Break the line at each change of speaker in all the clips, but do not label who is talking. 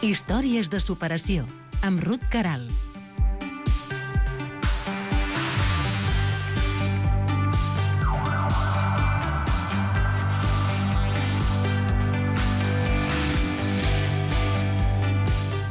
Històries de superació, amb Ruth Caral.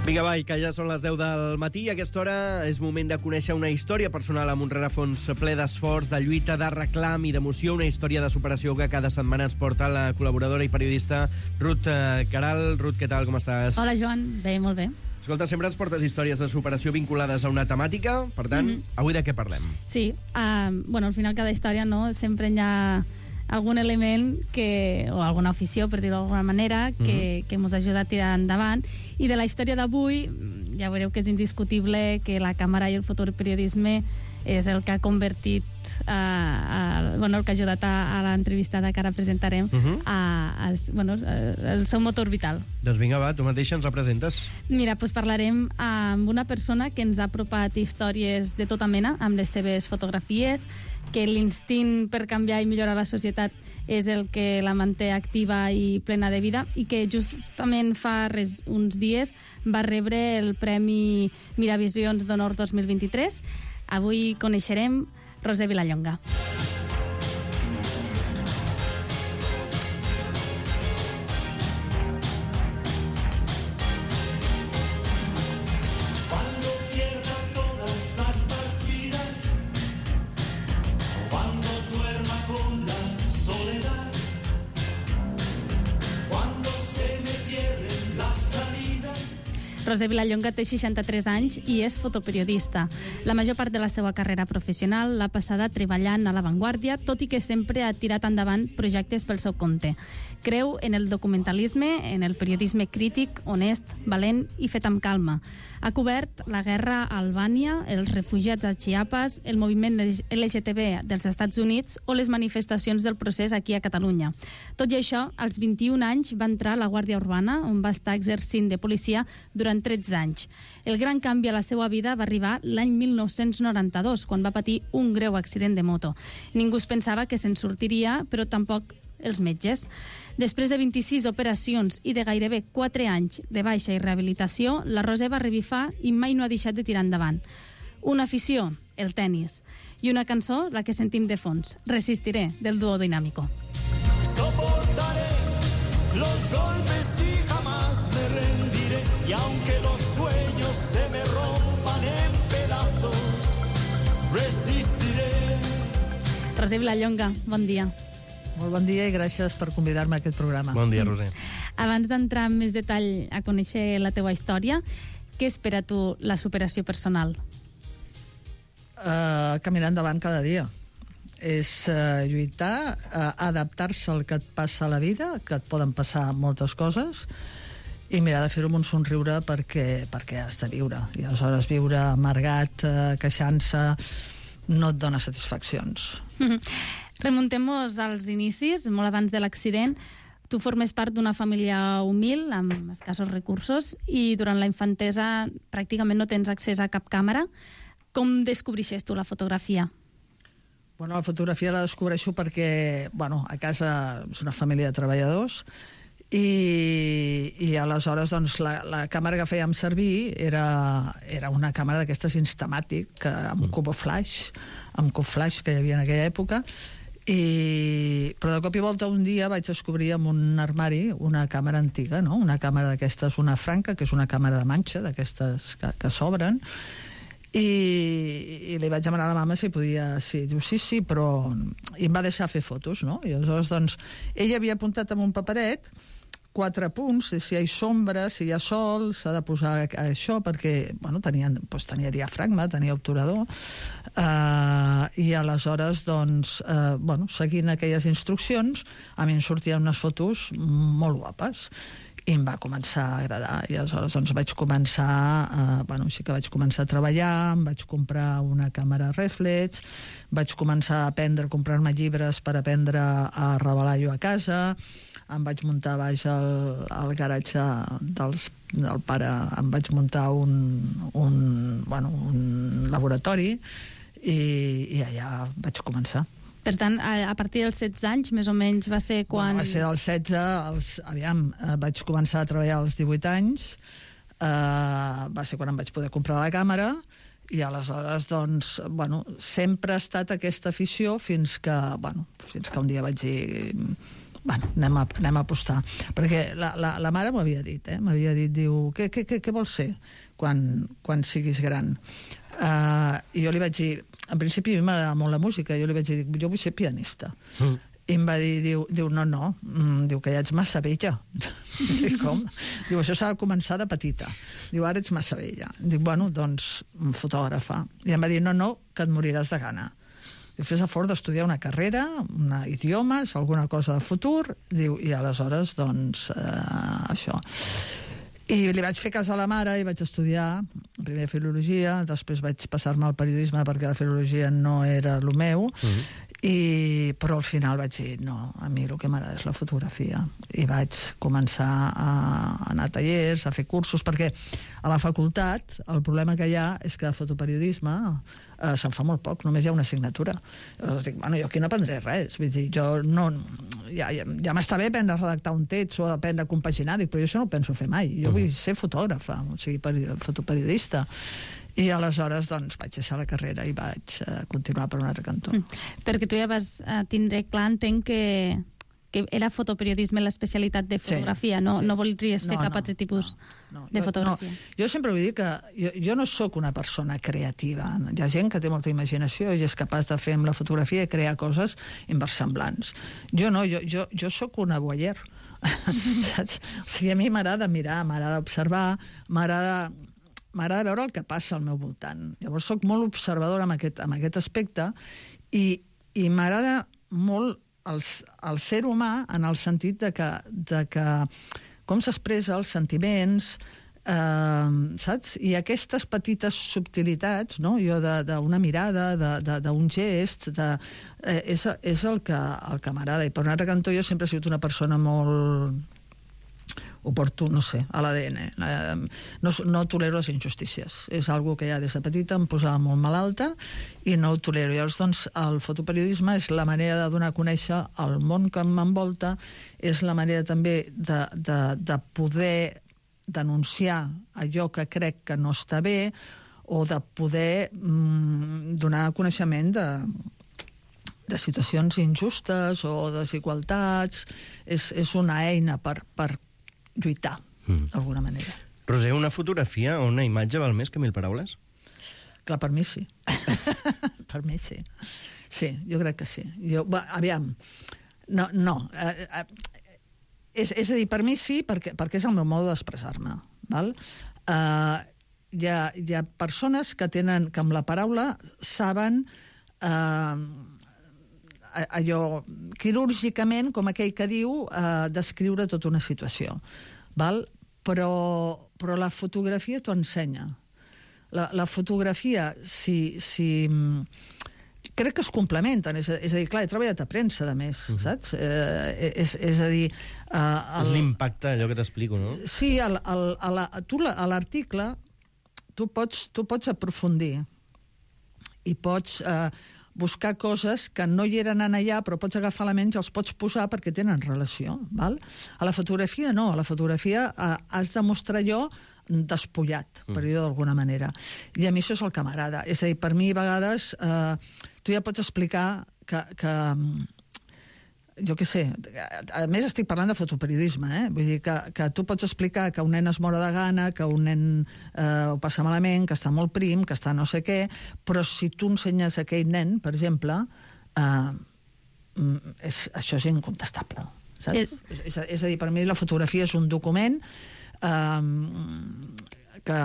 Vinga, va, que ja són les 10 del matí i a aquesta hora és moment de conèixer una història personal amb un rerefons ple d'esforç, de lluita, de reclam i d'emoció, una història de superació que cada setmana ens porta la col·laboradora i periodista Ruth Caral. Ruth, què tal, com estàs?
Hola, Joan. Bé, molt bé.
Escolta, sempre ens portes històries de superació vinculades a una temàtica, per tant, avui de què parlem?
Sí, al final cada història, no, sempre hi ha algun element o alguna afició, per dir-ho d'alguna manera, que ens ajuda a tirar endavant. I de la història d'avui, ja veureu que és indiscutible que la càmera i el fotoperiodisme és el que ha convertit, el que ha ajudat a l'entrevistada que ara presentarem el seu motor vital.
Doncs vinga, va, tu mateixa ens la presentes.
Mira, doncs parlarem amb una persona que ens ha apropat històries de tota mena, amb les seves fotografies, que l'instint per canviar i millorar la societat és el que la manté activa i plena de vida, i que justament fa uns dies va rebre el Premi Miravisions d'Honor 2023. Avui coneixerem Roser Vilallonga. Roser Vilallonga té 63 anys i és fotoperiodista. La major part de la seva carrera professional l'ha passada treballant a l'avantguàrdia, tot i que sempre ha tirat endavant projectes pel seu compte. Creu en el documentalisme, en el periodisme crític, honest, valent i fet amb calma. Ha cobert la guerra a Albània, els refugiats a Chiapas, el moviment LGTB dels Estats Units o les manifestacions del procés aquí a Catalunya. Tot i això, als 21 anys va entrar a la Guàrdia Urbana, on va estar exercint de policia durant 13 anys. El gran canvi a la seva vida va arribar l'any 1992, quan va patir un greu accident de moto. Ningú es pensava que se'n sortiria, però tampoc els metges. Després de 26 operacions i de gairebé 4 anys de baixa i rehabilitació, la Roser va revifar i mai no ha deixat de tirar endavant. Una afició, el tenis, i una cançó, la que sentim de fons, Resistiré, del dúo Dinámico.
Soportaré los golpes y jamás me rendiré, y aunque los sueños se me rompan en pedazos, resistiré.
Roser Vilallonga, bon dia.
Molt bon dia i gràcies per convidar-me a aquest programa.
Bon dia, Roser.
Abans d'entrar en més detall a conèixer la teua història, què espera tu la superació personal?
Caminar endavant cada dia. És lluitar, adaptar-se al que et passa a la vida, que et poden passar moltes coses, i mirar de fer-ho amb un somriure perquè has de viure. I aleshores viure amargat, queixant-se, no et dona satisfaccions.
Remuntem-nos als inicis, molt abans de l'accident. Tu formes part d'una família humil, amb escassos recursos, i durant la infantesa pràcticament no tens accés a cap càmera. Com descobreixes tu la fotografia?
Bueno, la fotografia la descobreixo perquè, a casa és una família de treballadors, i aleshores doncs, la càmera que fèiem servir era una càmera d'aquestes Instamatic, amb cubo flash que hi havia en aquella època, però de cop i volta un dia vaig descobrir en un armari una càmera antiga, no? Una càmera d'aquestes, una Franca, que és una càmera de manxa, d'aquestes que s'obren, i li vaig demanar a la mama si podia, diu sí, però i em va deixar fer fotos, no? I aleshores doncs ella havia apuntat en un paperet 4 punts, si hi ha sombra, si hi ha sol, s'ha de posar això, perquè tenia diafragma, tenia obturador, i aleshores seguint aquelles instruccions a mi em sortien unes fotos molt guapes i em va començar a agradar, i aleshores vaig començar així que vaig començar a treballar, em vaig comprar una càmera reflex, vaig començar a comprar-me llibres per aprendre a revelar jo a casa, em vaig muntar baix al garatge del pare, em vaig muntar un laboratori, i allà vaig començar.
Per tant, a partir dels 16 anys, més o menys, va ser quan...
Va ser dels 16, vaig començar a treballar als 18 anys, va ser quan em vaig poder comprar la càmera, i aleshores, doncs, bueno, sempre ha estat aquesta afició fins que un dia vaig dir, bueno, anem a apostar. Perquè la mare m'havia dit, diu, què vols ser quan siguis gran? I jo li vaig dir, en principi a mi m'agrada molt la música, jo li vaig dir, jo vull ser pianista. I em va dir, diu, no, diu que ja ets massa vella. Dic, com? Diu, això s'ha de començar de petita. Diu, ara ets massa vella. Dic, bueno, doncs, fotògrafa. I em va dir, no, que et moriràs de gana. Diu, fes esforç d'estudiar una carrera, idiomes, alguna cosa de futur. Diu, i aleshores, doncs, això. I li vaig fer cas a la mare i vaig estudiar primer filologia, després vaig passar-me al periodisme perquè la filologia no era el meu, però al final vaig dir, no, a mi el que m'agrada és la fotografia. I vaig començar a anar a tallers, a fer cursos, perquè a la facultat el problema que hi ha és que de fotoperiodisme se'n fa molt poc, només hi ha una assignatura. Llavors dic, bueno, jo aquí no aprendré res. Vull dir, jo no... Ja m'està bé aprendre a redactar un text o aprendre a compaginar, dic, però jo això no ho penso fer mai. Jo vull ser fotògrafa, o sigui, fotoperiodista. I aleshores, doncs, vaig deixar la carrera i vaig continuar per un altre cantó.
Perquè tu ja vas tindre clar, entenc que era fotoperiodisme l'especialitat de fotografia, no voldries fer cap altre tipus de fotografia.
Jo sempre vull dir que jo no sóc una persona creativa. Hi ha gent que té molta imaginació i és capaç de fer amb la fotografia i crear coses inversemblants. Jo no, jo sóc una voyeur. Saps? O sigui, a mi m'agrada mirar, m'agrada observar, m'agrada veure el que passa al meu voltant. Llavors soc molt observadora amb aquest aspecte i m'agrada molt el ser humà en el sentit de que com s'expressa els sentiments, saps? I aquestes petites subtilitats, no? Jo d'una mirada, d'un gest, és el que m'agrada. I per un altre cantó jo sempre he sigut una persona molt... ho porto, no sé, a l'ADN. No tolero les injustícies. És algo que ja des de petita em posava molt malalta i no ho tolero. Llavors, doncs, el fotoperiodisme és la manera de donar a conèixer el món que m'envolta, és la manera també de poder denunciar allò que crec que no està bé o de poder donar coneixement de situacions injustes o desigualtats. És una eina per lluitar, d'alguna manera.
Roser, una fotografia o una imatge val més que 1000 paraules?
Clar, per mi sí. Per mi sí. Sí, jo crec que sí. Aviam, no. És a dir, per mi sí, perquè és el meu mode d'expressar-me. Hi ha persones que amb la paraula saben allò quirúrgicament, com aquell que diu, descriure tota una situació. Però la fotografia t'ho ensenya. La fotografia, crec que es complementen. És a dir, clar, he treballat a premsa, a més, saps? És a dir...
És l'impacte, allò que t'explico, no?
Sí, tu a l'article tu pots aprofundir i pots buscar coses que no hi eren allà, però pots agafar elements i els pots posar perquè tenen relació. A la fotografia no. A la fotografia has de mostrar allò despullat, per dir-ho d'alguna manera. I a mi això és el que m'agrada. És a dir, per mi, a vegades, tu ja pots explicar que jo què sé, a més estic parlant de fotoperiodisme, vull dir que tu pots explicar que un nen es mora de gana, que un nen ho passa malament, que està molt prim, que està no sé què, però si tu ensenyes a aquell nen, per exemple, això és incontestable. És a dir, per mi la fotografia és un document que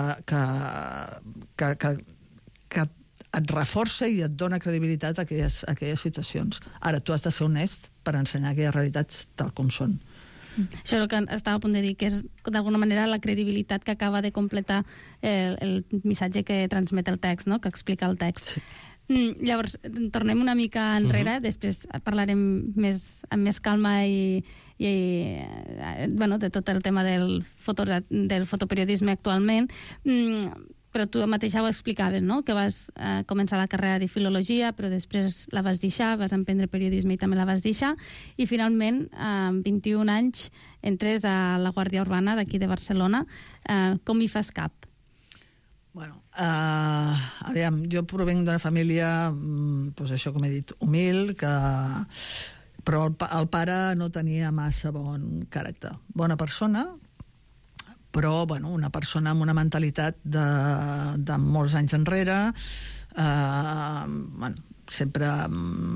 et reforça i et dona credibilitat a aquelles situacions. Ara, tu has de ser honest per ensenyar aquelles realitats tal com són.
Això és el que estava a punt de dir, que és d'alguna manera la credibilitat que acaba de completar el missatge que transmet el text, no? Que explica el text. Sí. Llavors, tornem una mica enrere, després parlarem amb més calma i de tot el tema del fotoperiodisme actualment. però tu mateixa ho explicaves, no? Que vas començar la carrera de filologia, però després la vas deixar, vas emprendre periodisme i també la vas deixar, i finalment, amb 21 anys, entres a la Guàrdia Urbana d'aquí de Barcelona. Com hi fas cap?
Bueno, aviam, jo provenc d'una família, doncs això com he dit, humil, però el pare no tenia massa bon caràcter. Bona persona, però bueno, una persona amb una mentalitat de molts anys enrere, sempre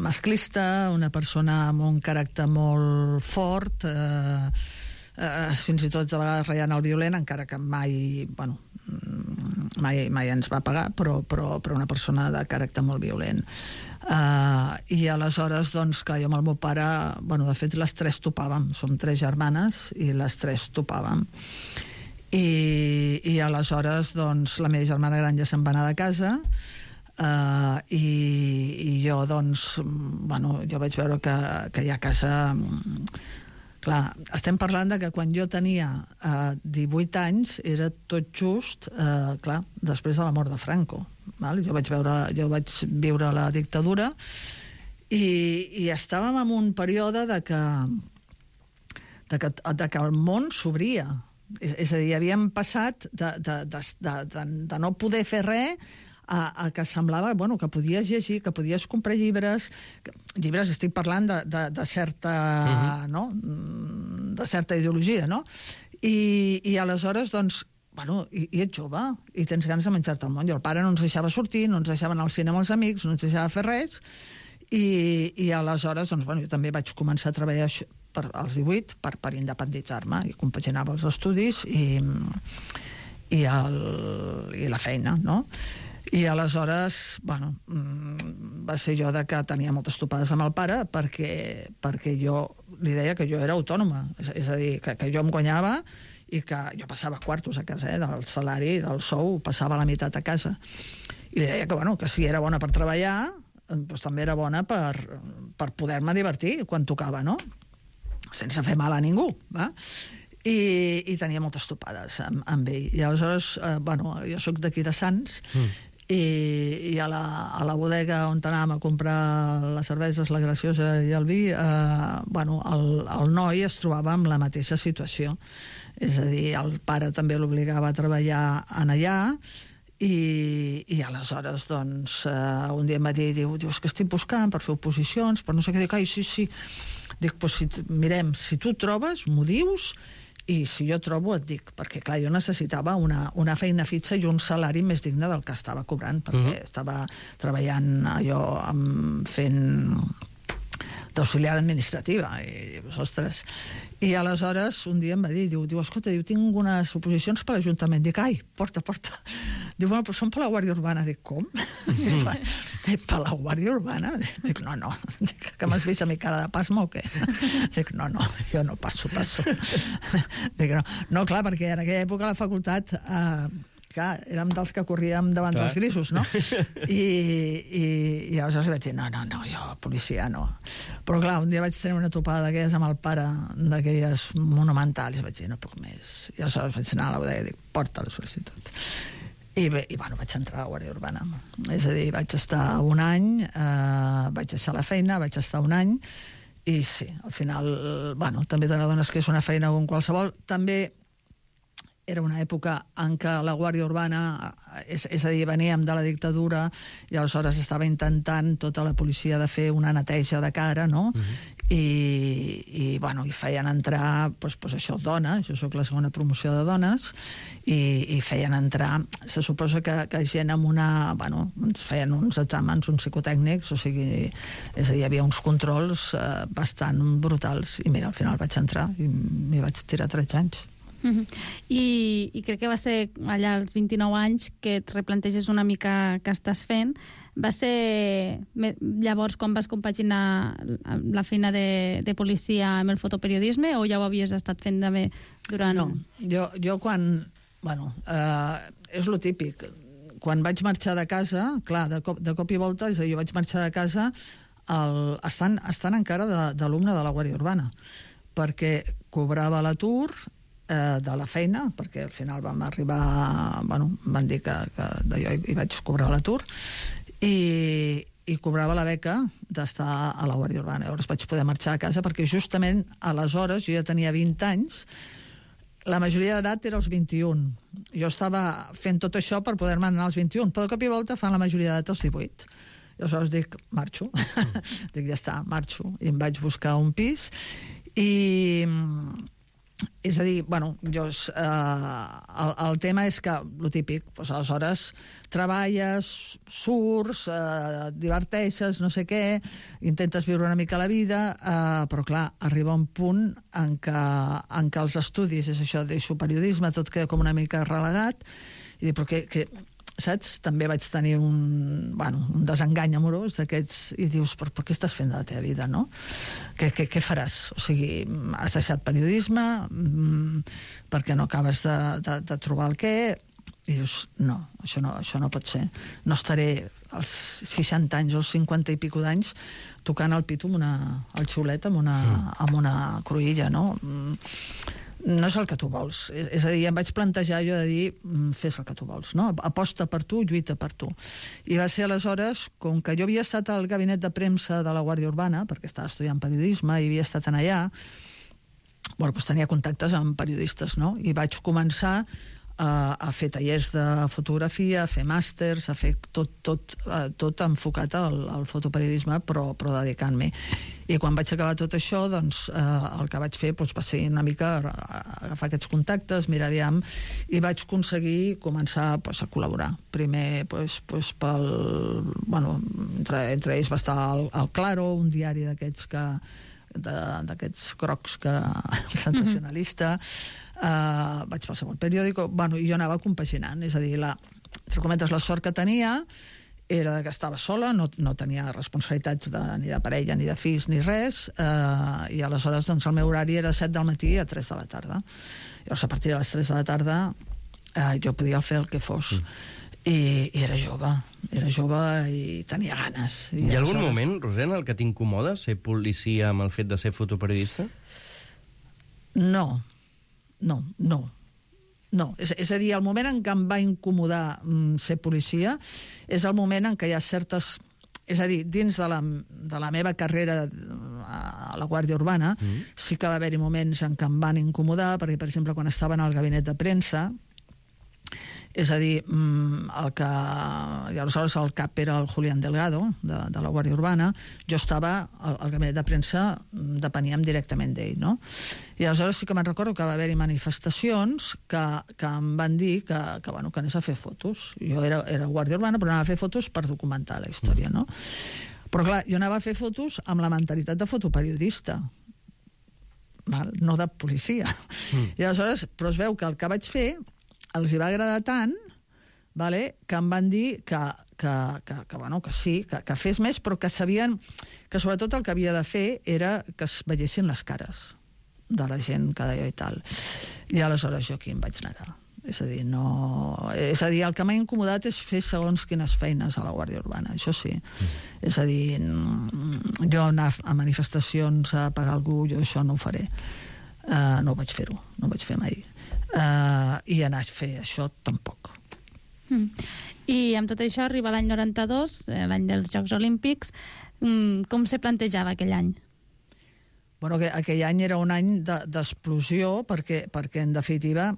masclista, una persona amb un caràcter molt fort, fins i tot de vegades ratllant el violent, encara que mai ens va pagar, però una persona de caràcter molt violent. I aleshores, doncs, clar, jo amb el meu pare, de fet, les tres topàvem. Som 3 germanes i les 3 topàvem. I aleshores, doncs, la meva germana gran ja se'n va anar de casa, i jo, doncs, jo vaig veure que ja a casa... Clar, estem parlant de que quan jo tenia 18 anys era tot just, clar, després de la mort de Franco. Val? Jo vaig viure la dictadura i estàvem en un període de que el món s'obria. És a dir, havíem passat de no poder fer res a que semblava que podies llegir, que podies comprar llibres, estic parlant de certa, no? De certa ideologia, no? I aleshores, doncs, i ets jove, i tens ganes de menjar-te el món. I el pare no ens deixava sortir, no ens deixava anar al cinema amb els amics, no ens deixava fer res, i aleshores, doncs, jo també vaig començar a treballar als 18 per independitzar-me, i compaginava els estudis i la feina, no? I aleshores, va ser jo que tenia moltes topades amb el pare perquè jo li deia que jo era autònoma, és a dir, que jo em guanyava i que jo passava quartos a casa, del salari, del sou, passava la meitat a casa. I li deia que si era bona per treballar, doncs també era bona per poder-me divertir quan tocava, no? Sense fer mal a ningú, va? I tenia moltes topades amb ell. I aleshores, jo soc d'aquí de Sants, i a la bodega on anàvem a comprar les cerveses, la graciosa i el vi, el noi es trobava amb la mateixa situació. És a dir, el pare també l'obligava a treballar en allà, i aleshores, doncs, un dia em va dir, dius que estic buscant per fer oposicions, per no sé què, dic, sí. Dic, mirem, si tu trobes, m'ho dius, i si jo trobo et dic, perquè clar, jo necessitava una feina fixa i un salari més digne del que estava cobrant, perquè estava treballant allò fent d'auxiliar administrativa, i dius, ostres. I aleshores un dia em va dir, diu, escolta, tinc unes oposicions per l'Ajuntament. Dic, porta. Diu, però són per la Guàrdia Urbana. Dic, com? Dic, per la Guàrdia Urbana? Dic, no. Dic, que m'has vist a mi cara de pasmo o què? Dic, no, jo no passo. Dic, no, clar, perquè en aquella època a la facultat... clar, érem dels que corríem davant dels grisos, no? I aleshores li vaig dir, no, jo, policia, no. Però clar, un dia vaig tenir una topada d'aquelles amb el pare, d'aquelles monumentals, i vaig dir, no puc més. I aleshores vaig anar a la bodega i dic, porta la sol·licitud. I vaig entrar a la Guàrdia Urbana. És a dir, vaig estar un any, vaig deixar la feina, vaig estar un any, i sí, al final, també te n'adones que és una feina com qualsevol. També era una època en què la Guàrdia Urbana, és a dir, veníem de la dictadura i aleshores estava intentant tota la policia de fer una neteja de cara, no? I feien entrar, doncs això, dones, jo soc la segona promoció de dones, i feien entrar, se suposa que gent amb una... ens feien uns exàmens, uns psicotècnics, o sigui, és a dir, hi havia uns controls bastant brutals, i mira, al final vaig entrar i m'hi vaig tirar 13 anys.
I crec que va ser allà als 29 anys que et replanteges una mica què estàs fent. Va ser llavors quan vas compaginar la feina de policia amb el fotoperiodisme o ja ho havies estat fent també durant...
No, jo quan... és lo típic. Quan vaig marxar de casa, clar, de cop i volta, és a dir, jo vaig marxar de casa estant encara d'alumne de la Guàrdia Urbana, perquè cobrava l'atur de la feina, perquè al final vam arribar... Bueno, em van dir que d'allò hi vaig cobrar l'atur, i cobrava la beca d'estar a la Guàrdia Urbana. Llavors vaig poder marxar a casa perquè justament aleshores jo ja tenia 20 anys, la majoria d'edat era als 21. Jo estava fent tot això per poder-me anar als 21, però de cop i volta fan la majoria d'edat als 18. I aleshores dic, marxo. Dic, ja està, marxo. I em vaig buscar un pis i... És a dir, bueno, el tema és que, lo típic, doncs aleshores treballes, surts, diverteixes, no sé què, intentes viure una mica la vida, però clar, arriba un punt en què els estudis, és això, deixo periodisme, tot queda com una mica relegat, i dic, però què saps? També vaig tenir un desengany amorós d'aquests, i dius, però què estàs fent de la teva vida, no? Què faràs? O sigui, has deixat periodisme perquè no acabes de trobar el què, i dius, no, això no pot ser. No estaré als 60 anys o als 50 i pico d'anys tocant el pito el xiulet amb una cruïlla, no? No és el que tu vols. És a dir, em vaig plantejar jo de dir, fes el que tu vols, no? Aposta per tu, lluita per tu. I va ser aleshores, com que jo havia estat al gabinet de premsa de la Guàrdia Urbana, perquè estava estudiant periodisme i havia estat en allà, bueno, doncs tenia contactes amb periodistes, no? I vaig començar a fer tallers de fotografia, a fer màsters, a fer tot enfocat al fotoperiodisme, però dedicant-m'hi. I quan vaig acabar tot això, doncs, el que vaig fer va ser una mica agafar aquests contactes, mirar aviam, i vaig aconseguir començar a col·laborar. Primer, entre ells va estar el Claro, un diari d'aquests grocs sensacionalista, vaig passar pel periòdico, i jo anava compaginant, és a dir, entre cometes, la sort que tenia era que estava sola, no tenia responsabilitats ni de parella, ni de fills, ni res, i aleshores doncs, el meu horari era 7 del matí a 3 de la tarda. Llavors, a partir de les 3 de la tarda jo podia fer el que fos. I era jove i tenia ganes.
Hi ha algun moment, Rosena, el que t'incomoda ser policia amb el fet de ser fotoperiodista?
No. És a dir, el moment en què em va incomodar ser policia és el moment en què hi ha certes... És a dir, dins de la meva carrera a la Guàrdia Urbana sí que va haver-hi moments en què em van incomodar, perquè, per exemple, quan estava en el gabinet de premsa, és a dir, aleshores el cap era el Julián Delgado, de la Guàrdia Urbana, jo estava al gabinet de premsa, depeníem directament d'ell, no? I aleshores sí que me'n recordo que va haver-hi manifestacions que em van dir que anés a fer fotos. Jo era Guàrdia Urbana, però anava a fer fotos per documentar la història, no? Però clar, jo anava a fer fotos amb la mentalitat de fotoperiodista, no de policia. I aleshores, però es veu que el que vaig fer els hi va agradar tant, que em van dir que sí, que fes més, però que sabien que sobretot el que havia de fer era que es veiessin les cares de la gent que deia i tal. I aleshores jo aquí em vaig negar. És a dir, el que m'ha incomodat és fer segons quines feines a la Guàrdia Urbana, això sí. És a dir, jo anar a manifestacions a pagar algú, jo això no ho faré. No ho vaig fer-ho, no ho vaig fer mai. I anar a fer això tampoc.
I amb tot això arriba l'any 92, l'any dels Jocs Olímpics. Com se plantejava aquell any?
Bueno, aquell any era un any d'explosió perquè en definitiva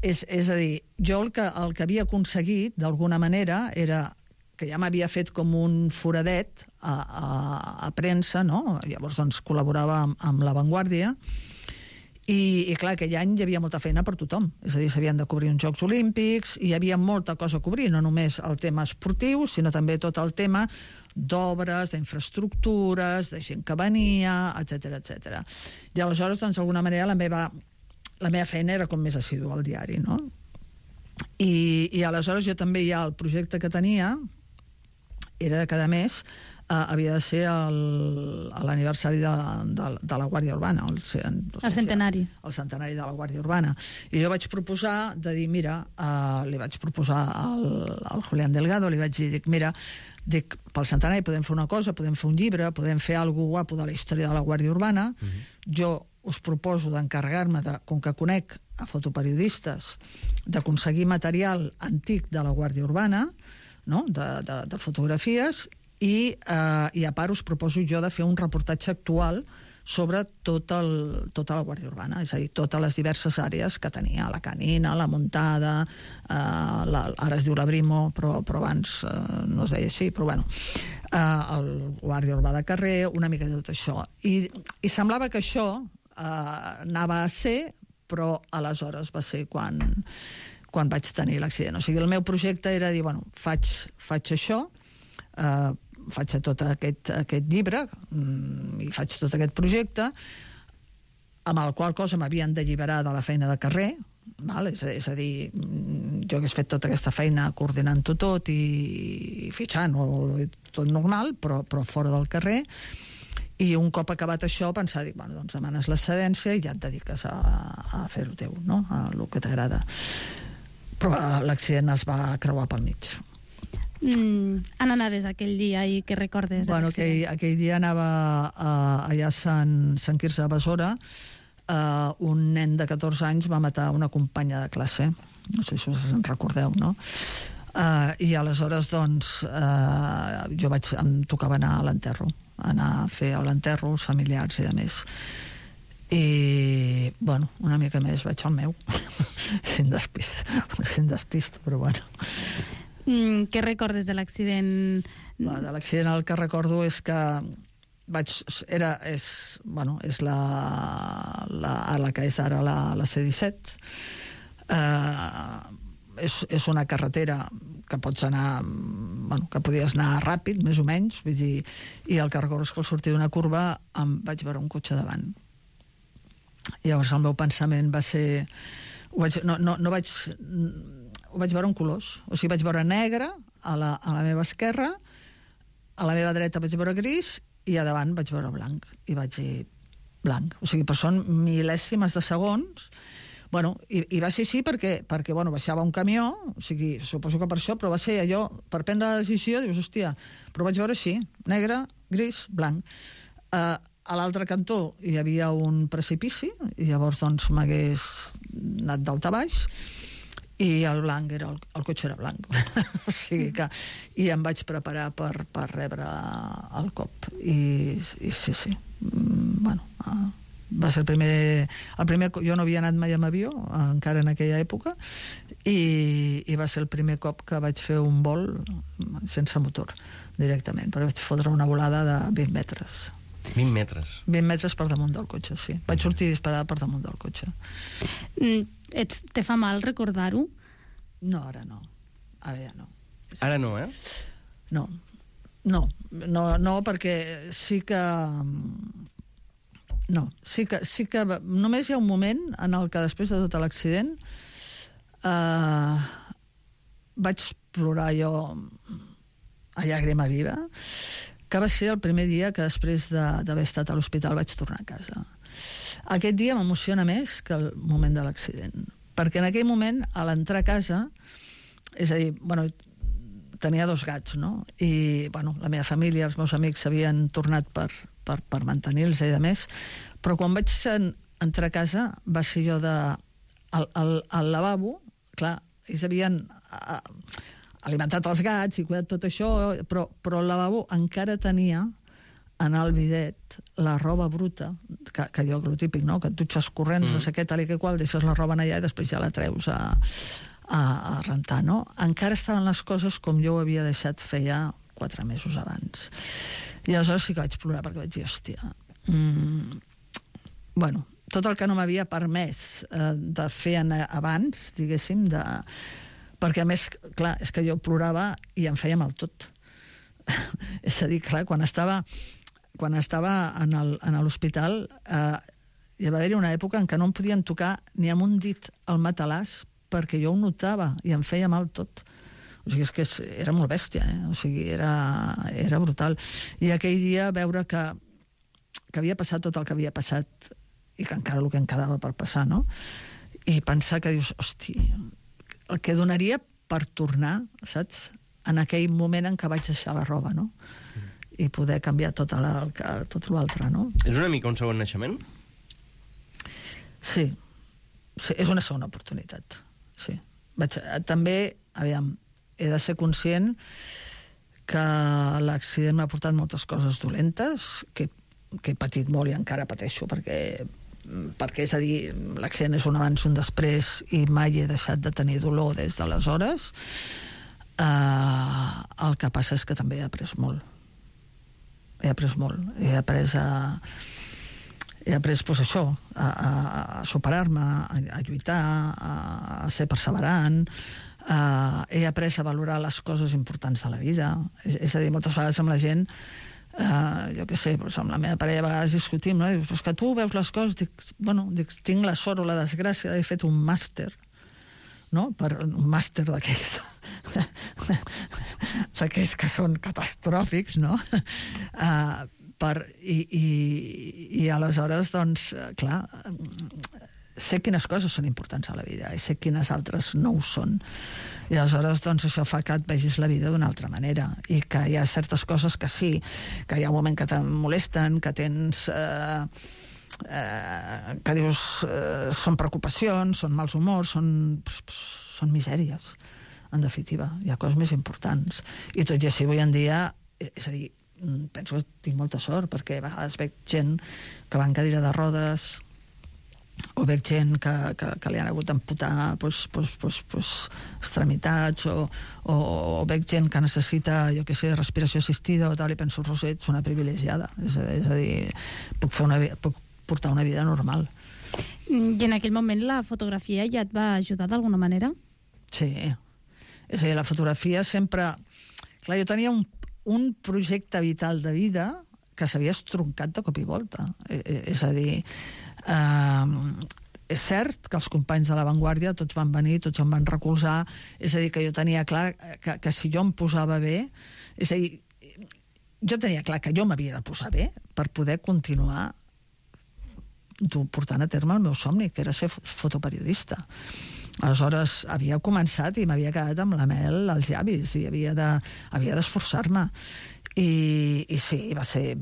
és a dir, jo el que havia aconseguit d'alguna manera era que ja m'havia fet com un foradet a premsa, no? Llavors doncs col·laborava amb La Vanguardia. I clar, aquell any hi havia molta feina per tothom. És a dir, s'havien de cobrir uns Jocs Olímpics i hi havia molta cosa a cobrir, no només el tema esportiu, sinó també tot el tema d'obres, d'infraestructures, de gent que venia, etc. I aleshores, doncs, d'alguna manera, la meva feina era com més assidua al diari, no? I aleshores jo també ja el projecte que tenia era de cada mes havia de ser l'aniversari de la Guàrdia Urbana. El
centenari.
El centenari de la Guàrdia Urbana. I jo vaig proposar de dir, mira, li vaig proposar al Julián Delgado, li vaig dir, mira, pel centenari podem fer una cosa, podem fer un llibre, podem fer alguna guapo de la història de la Guàrdia Urbana, jo us proposo d'encarregar-me, com que conec a fotoperiodistes, d'aconseguir material antic de la Guàrdia Urbana, no? de fotografies, i a part us proposo jo de fer un reportatge actual sobre tota la Guàrdia Urbana, és a dir, totes les diverses àrees que tenia, la Canina, la Muntada, ara es diu la Brimo, però abans no es deia així, però bueno, el Guàrdia Urbà de Carrer, una mica de tot això. I semblava que això anava a ser, però aleshores va ser quan vaig tenir l'accident. O sigui, el meu projecte era dir, bueno, faig això, faig tot aquest llibre i faig tot aquest projecte, amb el qual cosa m'havien d'alliberar de la feina de carrer, val? És a dir, jo hagués fet tota aquesta feina coordinant-ho tot i fitxant, tot normal, però fora del carrer. I un cop acabat això, pensar, dic, bueno, doncs demanes l'excedència i ja et dediques a fer-ho teu, no? A el que t'agrada. Però l'accident es va creuar pel mig.
On anaves aquell dia i què recordes de l'accident?
Aquell dia anava allà a Sant Quirze de Besora. Un nen de 14 anys va matar una companya de classe. No sé si us en recordeu, no? I aleshores, doncs, em tocava anar a l'enterro, anar a fer l'enterro, els familiars i de més. I, bueno, una mica més vaig al meu. Sin despist, però bueno.
Què recordes de l'accident?
De l'accident el que recordo és que és la que és ara la C-17. És una carretera que pots anar, que podies anar ràpid, més o menys, vull dir, i el que recordo és que al sortir d'una curva em vaig veure un cotxe davant. Llavors el meu pensament va ser... Ho vaig veure en colors. O sigui, vaig veure negre a la meva esquerra, a la meva dreta vaig veure gris i a davant vaig veure blanc. I vaig dir blanc. O sigui, però són mil·lèsimes de segons. Bueno, i va ser així perquè baixava un camió, o sigui, suposo que per això, però va ser allò, per prendre la decisió, dius, hòstia, però vaig veure així, negre, gris, blanc. A l'altre cantó hi havia un precipici, i llavors doncs m'hagués anat d'alt a baix, i el blanc el cotxe era blanc. O sigui que... I em vaig preparar per rebre el cop. I sí. Bueno... Va ser el primer... Jo no havia anat mai amb avió, encara en aquella època, i va ser el primer cop que vaig fer un vol sense motor, directament, però vaig fotre una volada de 20 metres.
20 metres?
20 metres per damunt del cotxe, sí. Vaig sortir disparada per damunt del cotxe.
Te fa mal recordar-ho?
No, ara no. Ara ja no.
Ara no, eh?
No, perquè sí que... No, sí que només hi ha un moment en el que després de tot l'accident vaig plorar jo a llàgrima viva, que va ser el primer dia que després d'haver estat a l'hospital vaig tornar a casa. Aquest dia m'emociona més que el moment de l'accident, perquè en aquell moment, a l'entrar a casa, és a dir, bueno, tenia 2 gats, no? I, bueno, la meva família, els meus amics s'havien tornat per mantenir-los i de més, però quan vaig entrar a casa va ser jo al lavabo, clar, ells havien alimentat els gats i cuidat tot això, però el lavabo encara tenia en el bidet la roba bruta, que jo, el típic, no?, que et dutxes corrents, no sé què, tal i que qual, deixes la roba allà i després ja la treus a rentar, no? Encara estaven les coses com jo ho havia deixat feia 4 mesos abans. I aleshores sí que vaig plorar perquè vaig dir, hòstia, bueno, tot el que no m'havia permès de fer abans, diguéssim, perquè a més, clar, és que jo plorava i em feia mal tot. És a dir, clar, quan estava en l'hospital hi va haver-hi una època en què no em podien tocar ni amb un dit al matalàs perquè jo ho notava i em feia mal tot. O sigui, és que era molt bèstia, o sigui, era brutal. I aquell dia veure que havia passat tot el que havia passat i que encara el que em quedava per passar, no? I pensar que dius, hosti, el que donaria per tornar, saps?, en aquell moment en què vaig deixar la roba, no? I poder canviar tot l'altre, no?
És una mica un segon naixement?
Sí, és una segona oportunitat. Sí. També, aviam, he de ser conscient que l'accident m'ha portat moltes coses dolentes, que he patit molt i encara pateixo, perquè és a dir, l'accident és un abans i un després i mai he deixat de tenir dolor des d'aleshores. El que passa és que també he après molt. He après molt. He après pues, això, a superar-me, a lluitar, a ser perseverant. He après a valorar les coses importants de la vida. És a dir, moltes vegades amb la gent, jo què sé, doncs amb la meva parella a vegades discutim, no? Dius, que tu veus les coses, dic, tinc la sort o la desgràcia d'haver fet un màster, no? Un màster d'aquells que són catastròfics, no? I aleshores, doncs, clar, sé quines coses són importants a la vida i sé quines altres no ho són. I aleshores, doncs, això fa que et vegis la vida d'una altra manera i que hi ha certes coses que sí, que hi ha un moment que te'n molesten, que tens... que dius són preocupacions, són mals humors, són misèries, en definitiva. Hi ha coses més importants. I tot i així, avui en dia, és a dir, penso que tinc molta sort, perquè a vegades veig gent que va en cadira de rodes o veig gent que li han hagut d'amputar extremitats o veig gent que necessita, jo què sé, respiració assistida o tal, i penso, Roser, ets una privilegiada. És a dir, puc portar una vida normal.
I en aquell moment la fotografia ja et va ajudar d'alguna manera?
Sí. És a dir, la fotografia sempre... Clar, jo tenia un projecte vital de vida que s'havia estroncat de cop i volta. És a dir, és cert que els companys de l'avantguàrdia tots van venir, tots em van recolzar, és a dir, que jo tenia clar que si jo em posava bé, és a dir, jo tenia clar que jo m'havia de posar bé per poder continuar portant a terme el meu somni, que era ser fotoperiodista. Aleshores, havia començat i m'havia quedat amb la mel als llavis i havia d'esforçar-me. I sí, va ser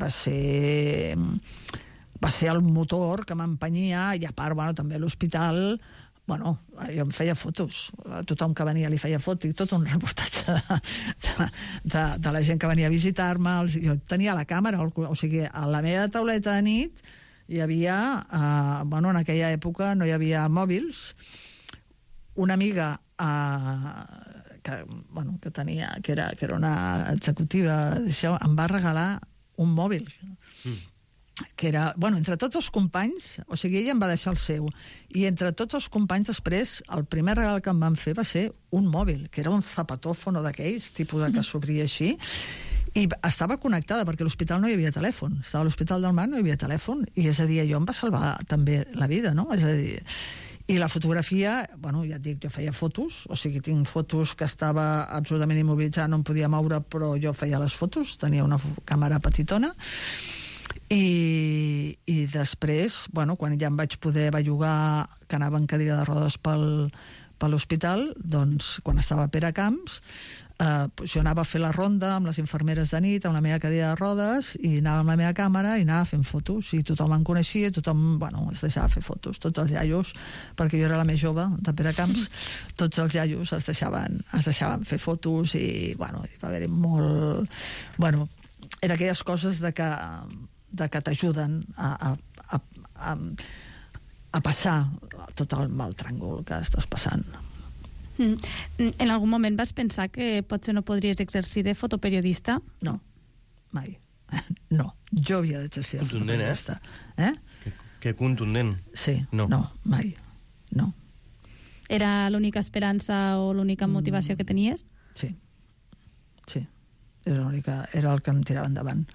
el motor que m'empenyia, i a part, també a l'hospital, jo em feia fotos. A tothom que venia li feia fotos, i tot un reportatge de la gent que venia a visitar-me. Jo tenia la càmera, o sigui, a la meva tauleta de nit hi havia, en aquella època no hi havia mòbils. Una amiga que tenia, que era una executiva d'això, em va regalar un mòbil que era, entre tots els companys, o sigui, ella em va deixar el seu, i entre tots els companys després, el primer regal que em van fer va ser un mòbil, que era un zapatófono d'aquells, tipus de que s'obria així, i estava connectada, perquè a l'hospital no hi havia telèfon, estava a l'Hospital del Mar, no hi havia telèfon, i és a dir, allò em va salvar també la vida, no? És a dir, i la fotografia, ja et dic, jo feia fotos, o sigui, tinc fotos que estava absolutament immobilitzada, no em podia moure, però jo feia les fotos, tenia una càmera petitona, i després, quan ja em vaig poder bellugar, que anava en cadira de rodes per l'hospital, doncs, quan estava a Peracamps, jo anava a fer la ronda amb les infermeres de nit, amb la meva cadira de rodes, i anava amb la meva càmera i anava fent fotos, i tothom em coneixia, tothom, es deixava fer fotos, tots els iaios, perquè jo era la més jove de Peracamps, tots els iaios es deixaven fer fotos, i va haver-hi molt... Era aquelles coses de que t'ajuden a passar tot el mal tràngol que estàs passant.
En algun moment vas pensar que potser no podries exercir de fotoperiodista?
No, mai. No, jo havia d'exercir de fotoperiodista.
Que contundent.
Sí, no, mai. No.
Era l'única esperança o l'única motivació que tenies?
Sí. Era el que em tirava endavant.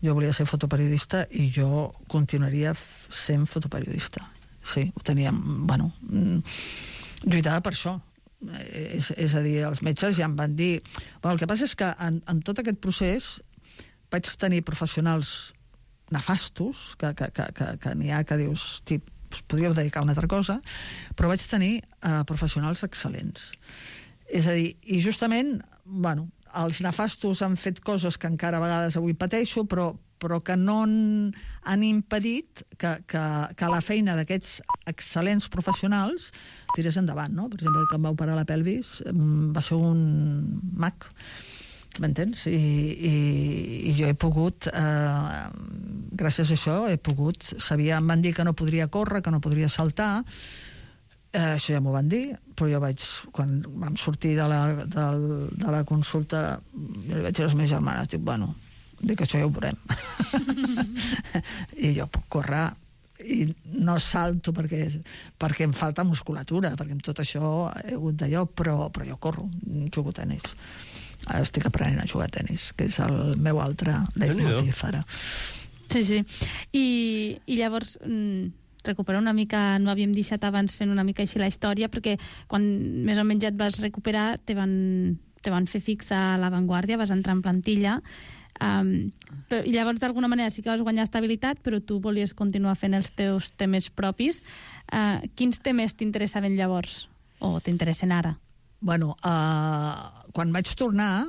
Jo volia ser fotoperiodista i jo continuaria sent fotoperiodista. Sí, ho tenia... lluitava per això. És a dir, els metges ja em van dir... el que passa és que en tot aquest procés vaig tenir professionals nefastos, que n'hi ha que dius, podríeu dedicar a una altra cosa, però vaig tenir professionals excel·lents. És a dir, i justament, els nefastos han fet coses que encara a vegades avui pateixo, però però que no han impedit que la feina d'aquests excel·lents professionals tirés endavant, no? Per exemple, que em va operar la pelvis va ser un mag, m'entens? I jo he pogut, gràcies a això, em van dir que no podria córrer, que no podria saltar, això ja m'ho van dir, però jo quan vam sortir de la consulta, jo li vaig dir a les meves germanes, dic, això ja ho veurem. I jo puc córrer i no salto perquè em falta musculatura, perquè amb tot això he hagut d'allò, però jo corro, jugo a tenis. Ara estic aprenent a jugar a tenis, que és el meu altre leitmotiv ara.
Sí. I llavors, recuperar una mica, no havíem deixat abans fent una mica així la història, perquè quan més o menys ja et vas recuperar te van fer fixa a l'avantguàrdia, vas entrar en plantilla, i llavors d'alguna manera sí que vas guanyar estabilitat, però tu volies continuar fent els teus temes propis. Quins temes t'interessaven llavors o t'interessen ara?
Bueno, quan vaig tornar,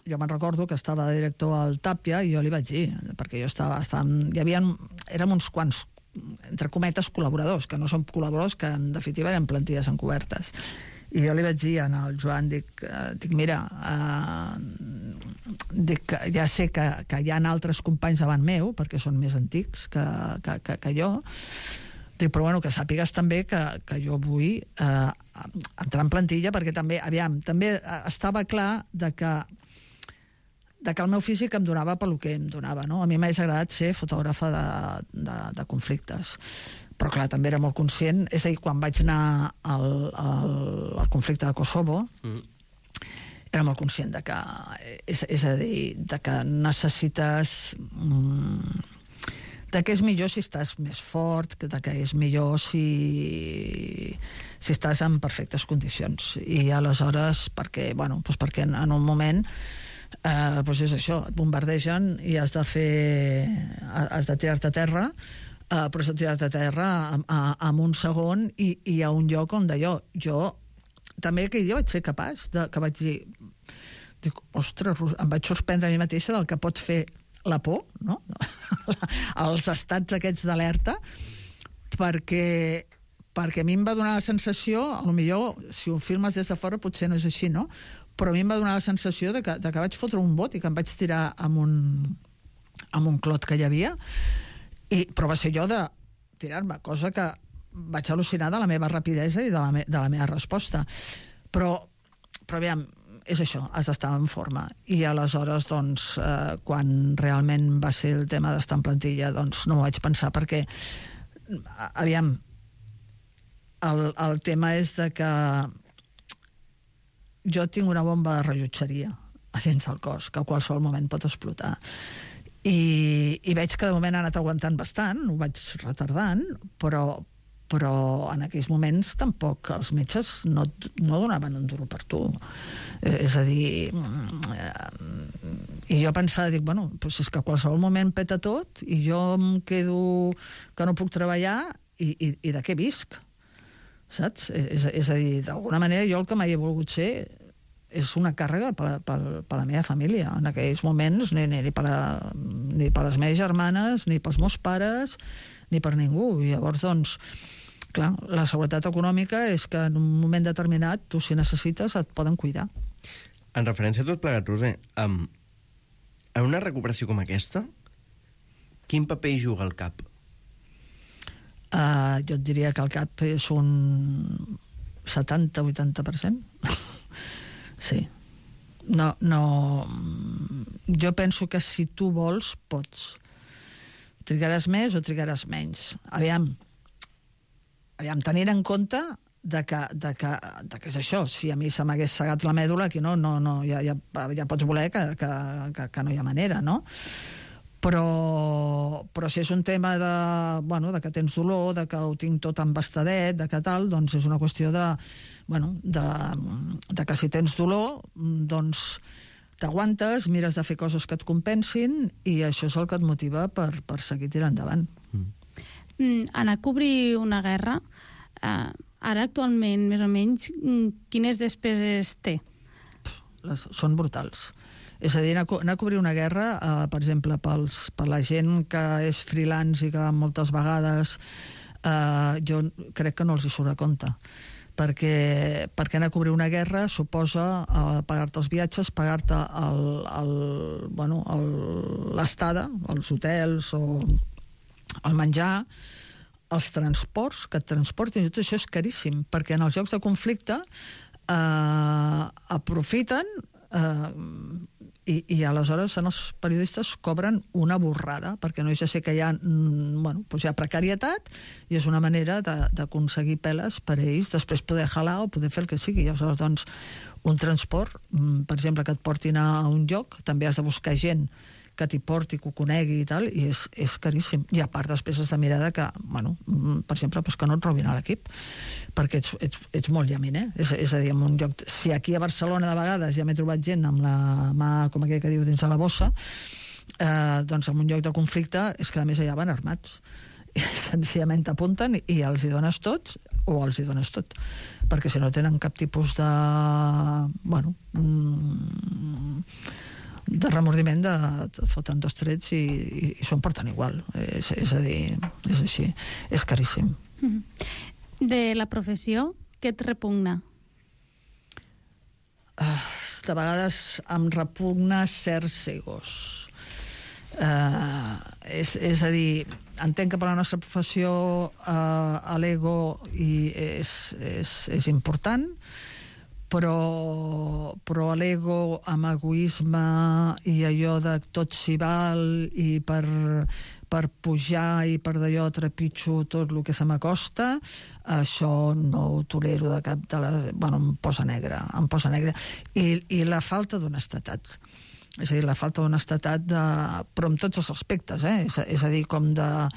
jo me'n recordo que estava de director al Tàpia i jo li vaig dir, perquè jo érem uns quants, entre cometes, col·laboradors, que no són col·laboradors, que en definitiva eren plantilles encobertes. I jo li vaig dir al Joan, dic mira, ja sé que hi ha altres companys davant meu, perquè són més antics que jo, dic, però bueno, que sàpigues també que jo vull entrar en plantilla, perquè també estava clar que el meu físic em donava pel que em donava, no? A mi m'hagués agradat ser fotògrafa de conflictes, però clar, també era molt conscient, és a dir, quan vaig anar al conflicte de Kosovo, era molt conscient de que, és a dir, de que necessites, de que és millor si estàs més fort, de que és millor si estàs en perfectes condicions. I aleshores, perquè en un moment és això, et bombardegen i has de tirar-te a terra, però has de tirar-te a terra en un segon i a un lloc on d'allò. Jo també aquell dia vaig ser capaç que vaig dir, ostres, em vaig sorprendre a mi mateixa del que pot fer la por, no? Els estats aquests d'alerta, perquè a mi em va donar la sensació, potser si ho filmes des de fora potser no és així, no? Però a mi em va donar la sensació de que vaig fotre un bot i que em vaig tirar amb un clot que hi havia, però va ser jo de tirar-me, cosa que vaig al·lucinar de la meva rapidesa i de la meva resposta. Però aviam, és això, has d'estar en forma. I aleshores, doncs, quan realment va ser el tema d'estar en plantilla, doncs no m'ho vaig pensar, perquè, aviam, el tema és de que jo tinc una bomba de rellotgeria a dins del cos, que a qualsevol moment pot explotar. I veig que de moment ha anat aguantant bastant, ho vaig retardant, però en aquells moments tampoc els metges no donaven un duro per tu. És a dir, i jo pensava, dic, doncs és que a qualsevol moment peta tot i jo em quedo que no puc treballar i de què visc? Saps? És a dir, d'alguna manera jo el que mai he volgut ser és una càrrega per la meva família. En aquells moments ni per les meves germanes, ni pels meus pares, ni per ningú. I llavors, doncs, clar, la seguretat econòmica és que en un moment determinat tu, si necessites, et poden cuidar.
En referència a tot plegat, Roser, en una recuperació com aquesta, quin paper hi juga el cap?
Jo et diria que el cap és un 70-80%. Sí. No, jo penso que si tu vols, pots. Trigaràs més o trigaràs menys. Aviam, tenint en compte de que és això, si a mi se m'hagués segat la mèdula, aquí ja pots voler que no hi ha manera, no? Però si és un tema de que tens dolor, de que ho tinc tot embastadet, de que tal, doncs és una qüestió de que si tens dolor, doncs t'aguantes, mires de fer coses que et compensin i això és el que et motiva per seguir tirant endavant.
Anar a cobrir una guerra, ara actualment, més o menys, quines despeses té?
Són brutals. És a dir, anar a cobrir una guerra, per exemple, per la gent que és freelance i que va moltes vegades, jo crec que no els hi surt a compte. Perquè anar a cobrir una guerra suposa pagar-te els viatges, pagar-te l'estada, els hotels o el menjar, els transports, que et transportin, tot això és caríssim, perquè en els llocs de conflicte aprofiten i aleshores els periodistes cobren una borrada, perquè no és ja sé que hi ha, hi ha precarietat i és una manera d'aconseguir peles per a ells, després poder jalar o poder fer el que sigui. Aleshores, doncs, un transport, per exemple, que et portin a un lloc, també has de buscar gent que t'hi porti, que ho conegui i tal, i és caríssim. I a part després has de mirar que, per exemple, que no et robin a l'equip, perquè ets molt llaminer. És a dir, en un lloc... Si aquí a Barcelona de vegades ja m'he trobat gent amb la mà, com aquell que diu, dins de la bossa, doncs en un lloc de conflicte és que a més allà van armats. I senzillament t'apunten i els hi dones tots o els hi dones tot. Perquè si no tenen cap tipus de... de remordiment, et foten dos trets i s'ho porten igual. És a dir, és així. És caríssim.
De la professió, què et repugna?
De vegades em repugna certs egos. És a dir, entenc que per la nostra professió l'ego és important, però l'ego amb egoisme i allò de tot s'hi val i per pujar i per d'allò trepitjo tot el que se m'acosta, això no ho tolero de cap de em posa negre. I la falta d'honestedat. És a dir, la falta d'honestedat, però en tots els aspectes, és a dir, com de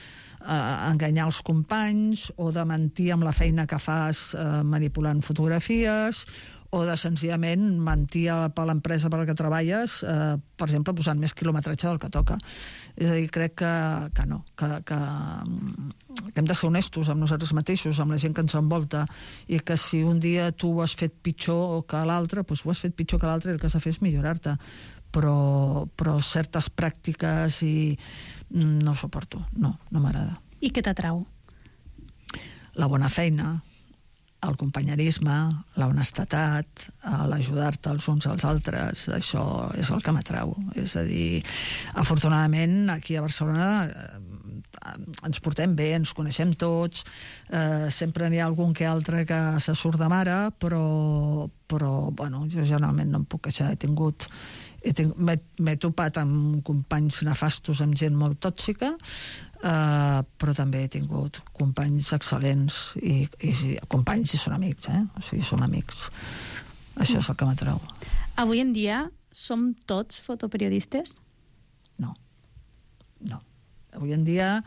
enganyar els companys o de mentir amb la feina que fas manipulant fotografies o de senzillament mentir per l'empresa per la que treballes, per exemple, posant més quilometratge del que toca. És a dir, crec que no, que hem de ser honestos amb nosaltres mateixos, amb la gent que ens envolta, i que si un dia tu ho has fet pitjor que l'altre, doncs ho has fet pitjor que l'altre i el que has de fer és millorar-te. Però certes pràctiques no ho suporto, no m'agrada.
I què t'atrau?
La bona feina, el companyerisme, la honestedat, l'ajudar-te els uns als altres, això és el que m'atrau. És a dir, afortunadament, aquí a Barcelona ens portem bé, ens coneixem tots, sempre n'hi ha algun que altre que se surt de mare, però jo generalment no em puc queixar. M'he topat amb companys nefastos, amb gent molt tòxica, però també he tingut companys excel·lents i companys i són amics, o sigui, som amics. Això és el que m'atrau.
Avui en dia som tots fotoperiodistes?
No. Avui en dia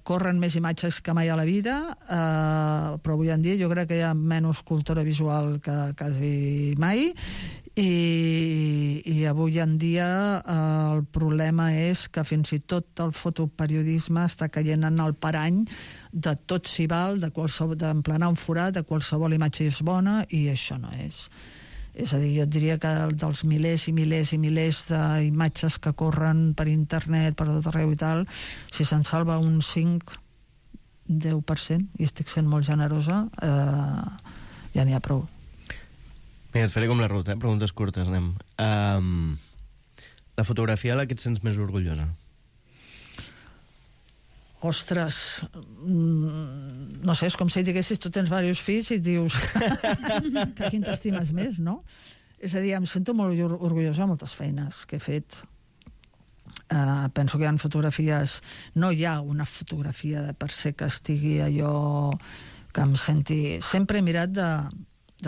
corren més imatges que mai a la vida, però avui en dia jo crec que hi ha menys cultura visual que quasi mai, i avui en dia el problema és que fins i tot el fotoperiodisme està caient en el parany de tot s'hi val, d'emplenar un forat, de qualsevol imatge és bona, i això no és. És a dir, jo et diria que dels milers i milers i milers d'imatges que corren per internet, per tot arreu i tal, si se'n salva un 5-10%, i estic sent molt generosa, ja n'hi ha prou.
Mira, et faré com la ruta, preguntes curtes, anem. La fotografia de la que et sents més orgullosa?
Ostres, no sé, és com si diguessis tu tens diversos fills i et dius que quin t'estimes més, no? És a dir, em sento molt orgullosa de moltes feines que he fet. Penso que hi ha fotografies... No hi ha una fotografia de per se que estigui allò que em senti... Sempre he mirat de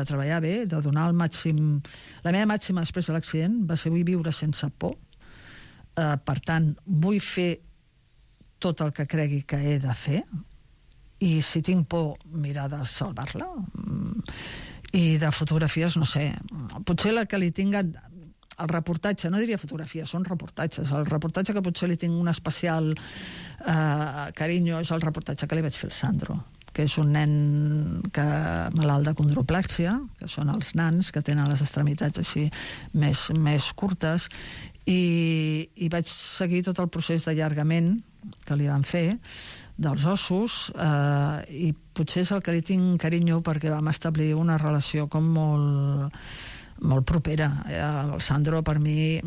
treballar bé, de donar el màxim... La meva màxima després de l'accident va ser vull viure sense por. Per tant, vull fer tot el que cregui que he de fer, i si tinc por, mirar de salvar-la. I de fotografies, no sé, potser la que li tinga el reportatge, no diria fotografia, són reportatges. El reportatge que potser li tinc un especial carinyo és el reportatge que li vaig fer al Sandro, que és un nen malalt de condroplàxia, que són els nans que tenen les extremitats així més curtes, i vaig seguir tot el procés d'allargament que li van fer dels ossos, i potser és el que li tinc carinyo perquè vam establir una relació com molt propera. El Sandro per mi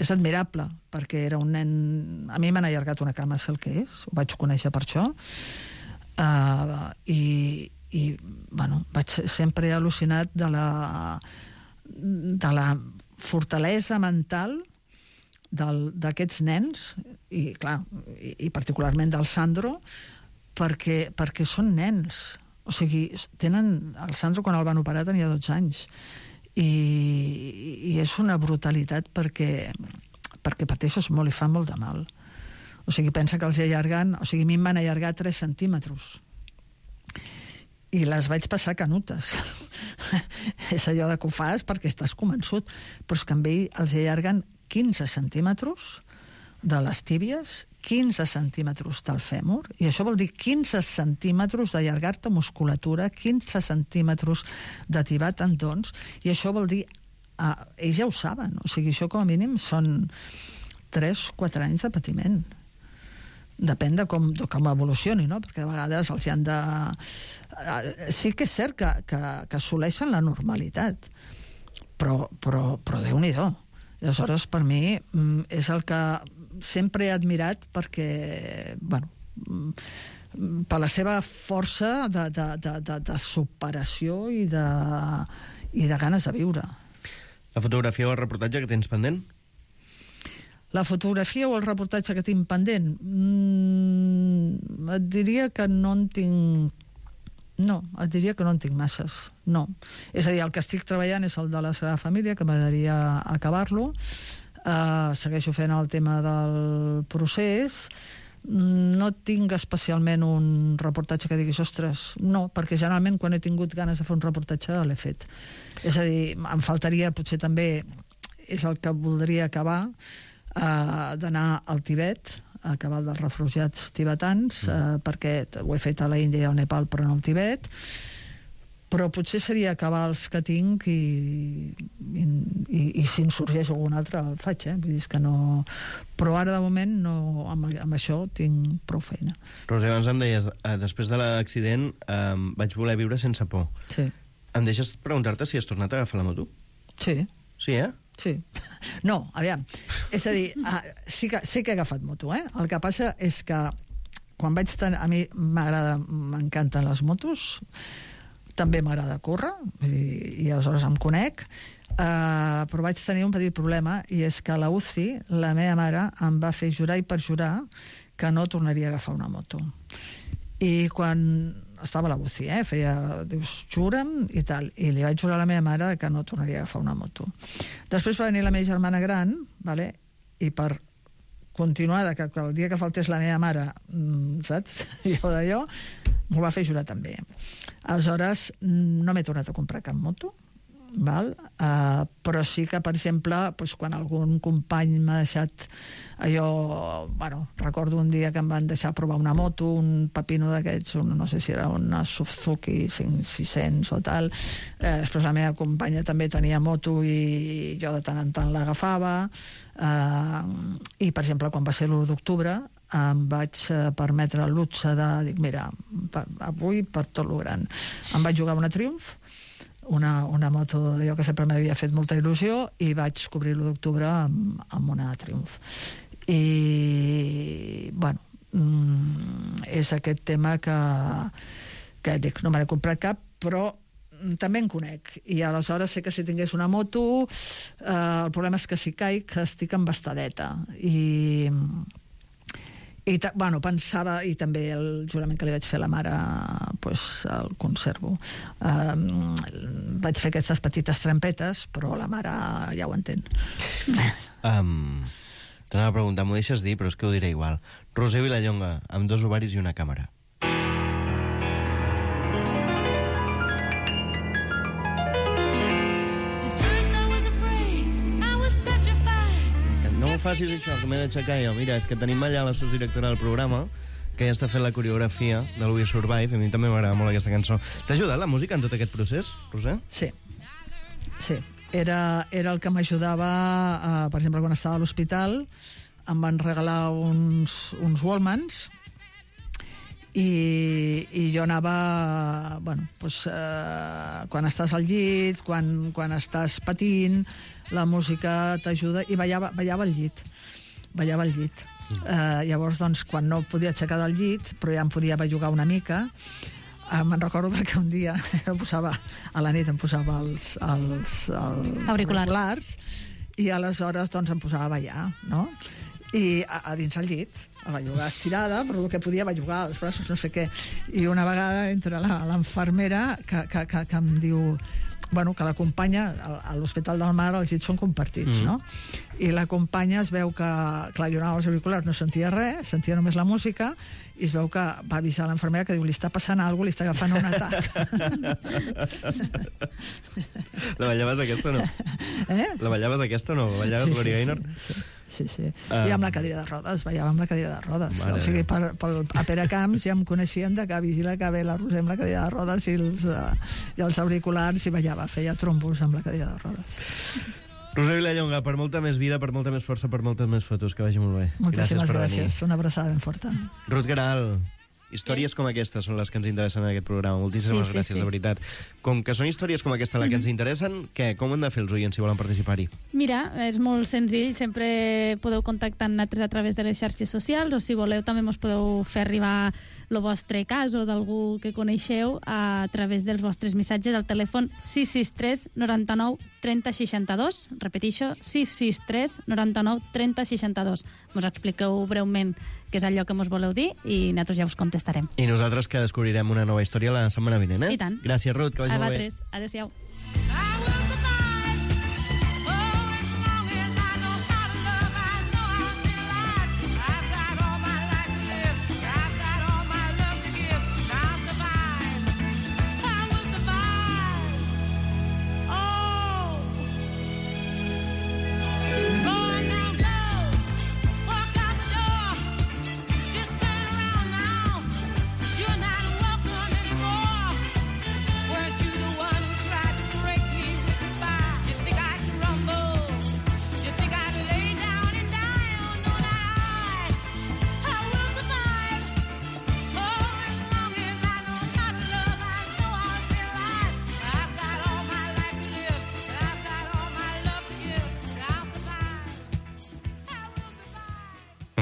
és admirable, perquè era un nen... A mi m'han allargat una cama, sé el que és, ho vaig conèixer per això, i vaig sempre al·lucinat de la fortalesa mental d'aquests nens, i clar, i particularment del Sandro, perquè són nens. O sigui, el Sandro quan el van operar tenia 12 anys, i és una brutalitat perquè pateixes molt i fa molt de mal. O sigui, pensa que els allarguen... O sigui, a mi em van allargar 3 centímetres i les vaig passar canutes. És allò de que ho fas perquè estàs convençut, però és que amb ell els allarguen 15 centímetres de les tíbies, 15 centímetres del fèmur, i això vol dir 15 centímetres d'allargar-te musculatura, 15 centímetres de tibar tendons, i això vol dir... ells ja ho saben, o sigui, això com a mínim són 3-4 anys de patiment. Depèn de com evolucioni, no? Perquè de vegades els hi han de... Sí que és cert que assoleixen la normalitat, però Déu-n'hi-do. Aleshores, per mi, és el que sempre he admirat perquè, per la seva força de superació i de ganes de viure.
La fotografia o el reportatge que tens pendent?
La fotografia o el reportatge que tinc pendent? Et diria que no en tinc... No, et diria que no en tinc masses. No. És a dir, el que estic treballant és el de la Sagrada Família, que m'agradaria acabar-lo. Segueixo fent el tema del procés. No tinc especialment un reportatge que diguis, ostres, no, perquè generalment quan he tingut ganes de fer un reportatge l'he fet. És a dir, em faltaria potser també, és el que voldria acabar, d'anar al Tibet, a acabar dels refugiats tibetans, perquè ho he fet a la Índia i al Nepal, però no al Tibet, però potser seria acabar els que tinc i si en sorgeix algun altre el faig, vull dir que no... Però ara de moment no, amb això tinc prou feina.
Roser, abans em deies, després de l'accident vaig voler viure sense por.
Sí.
Em deixes preguntar-te si has tornat a agafar la moto?
Sí.
Sí,
Sí. No, aviam. És a dir, sí que he agafat moto, El que passa és que quan vaig tenir... A mi m'encanten les motos, també m'agrada córrer, i aleshores em conec, però vaig tenir un petit problema, i és que a la UCI la meva mare em va fer jurar i perjurar que no tornaria a agafar una moto. I quan estava a la UCI, dius, jura'm i tal, i li vaig jurar a la meva mare que no tornaria a agafar una moto. Després va venir la meva germana gran, i per continuar, que el dia que faltés la meva mare, saps, jo d'allò, m'ho va fer jurar també. Aleshores, no m'he tornat a comprar cap moto, però sí que, per exemple, quan algun company m'ha deixat allò... recordo un dia que em van deixar provar una moto, un pepino d'aquests, no sé si era una Suzuki 600 o tal. Després la meva companya també tenia moto i jo de tant en tant l'agafava. I, per exemple, quan va ser l'1 d'octubre, em vaig permetre el luxe de dir, mira, avui per tot lo gran. Em vaig jugar una Triumph, una moto d'allò que sempre m'havia fet molta il·lusió, i vaig cobrir l'1 d'octubre amb una Triumph. I, és aquest tema que dic, no me n'he comprat cap, però també en conec. I aleshores sé que si tingués una moto, el problema és que si caic estic embastadeta. Pensava, i també el jurament que li vaig fer a la mare, el conservo. Vaig fer aquestes petites trampetes, però la mare ja ho entén.
T'anava a preguntar, m'ho deixes dir, però és que ho diré igual. Roser Vilallonga, amb 2 ovaris i una càmera. No facis això, que m'he d'aixecar jo. Mira, és que tenim allà la sosdirectora del programa, que ja està fent la coreografia del We Survive, a mi també m'agrada molt aquesta cançó. T'ha ajudat la música en tot aquest procés, Roser?
Sí. Era el que m'ajudava, per exemple, quan estava a l'hospital, em van regalar uns Wallmans i jo anava, quan estàs al llit, quan estàs patint, la música t'ajuda, i ballava al llit. Llavors, doncs, quan no podia aixecar del llit, però ja em podia bellugar una mica, me'n recordo perquè un dia a la nit em posava els auriculars i aleshores doncs em posava a ballar, no? I a dins el llit, a bellugar estirada, però el que podia bellugar els braços, no sé què. I una vegada entra l'infermera que em diu que l'acompanya a l'Hospital del Mar, els llits són compartits, no? I l'acompanya, es veu que, clar, jo anava als auriculars, no sentia res, sentia només la música, i es veu que va avisar l'infermera que diu, li està passant alguna cosa, li està agafant un atac.
La ballaves aquesta o no? La ballaves aquesta o no? Ballaves Gloria Gaynor?
Sí. I amb la cadira de rodes, ballava amb la cadira de rodes. O sigui, a Pere Camps ja em coneixien de que vigila que ve la Roser amb la cadira de rodes i els auriculars, i ballava, feia trombos amb la cadira de rodes.
Roser Vilallonga, per molta més vida, per molta més força, per moltes més fotos, que vagi molt bé.
Moltíssimes gràcies. Una abraçada ben forta.
Ruth Queralt, històries com aquestes són les que ens interessen en aquest programa. Moltíssimes gràcies, de veritat. Com que són històries com aquesta les que ens interessen, com han de fer els oients si volen participar-hi?
Mira, és molt senzill. Sempre podeu contactar amb nosaltres a través de les xarxes socials, o si voleu també ens podeu fer arribar el vostre cas o d'algú que coneixeu a través dels vostres missatges al telèfon 663 99 30 62. Repeteixo, 663 99 30 62. Mos expliqueu breument què és allò que mos voleu dir i nosaltres ja us contestarem.
I nosaltres que descobrirem una nova història la setmana vinent,
I tant.
Gràcies, Ruth, que vagi molt bé.
Adéu-siau.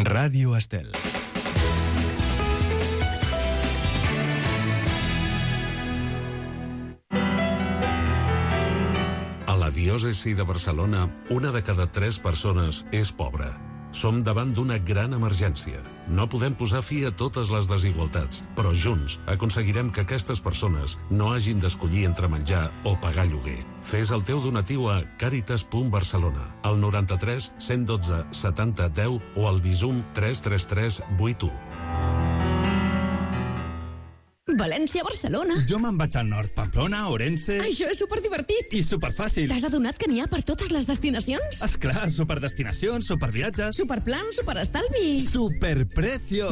Ràdio Estel. A la diòcesi de Barcelona, una de cada 3 persones és pobra. Som davant d'una gran emergència. No podem posar fi a totes les desigualtats, però junts aconseguirem que aquestes persones no hagin d'escollir entre menjar o pagar lloguer. Fes el teu donatiu a caritas.barcelona, al 93 112 70 10 o al Bizum 333 81.
València-Barcelona.
Jo me'n vaig al nord, Pamplona, Orense...
Això és superdivertit.
I superfàcil.
T'has adonat que n'hi ha per totes les destinacions?
Esclar, superdestinacions, superviatges...
Superplan, superestalvi...
Superprecio!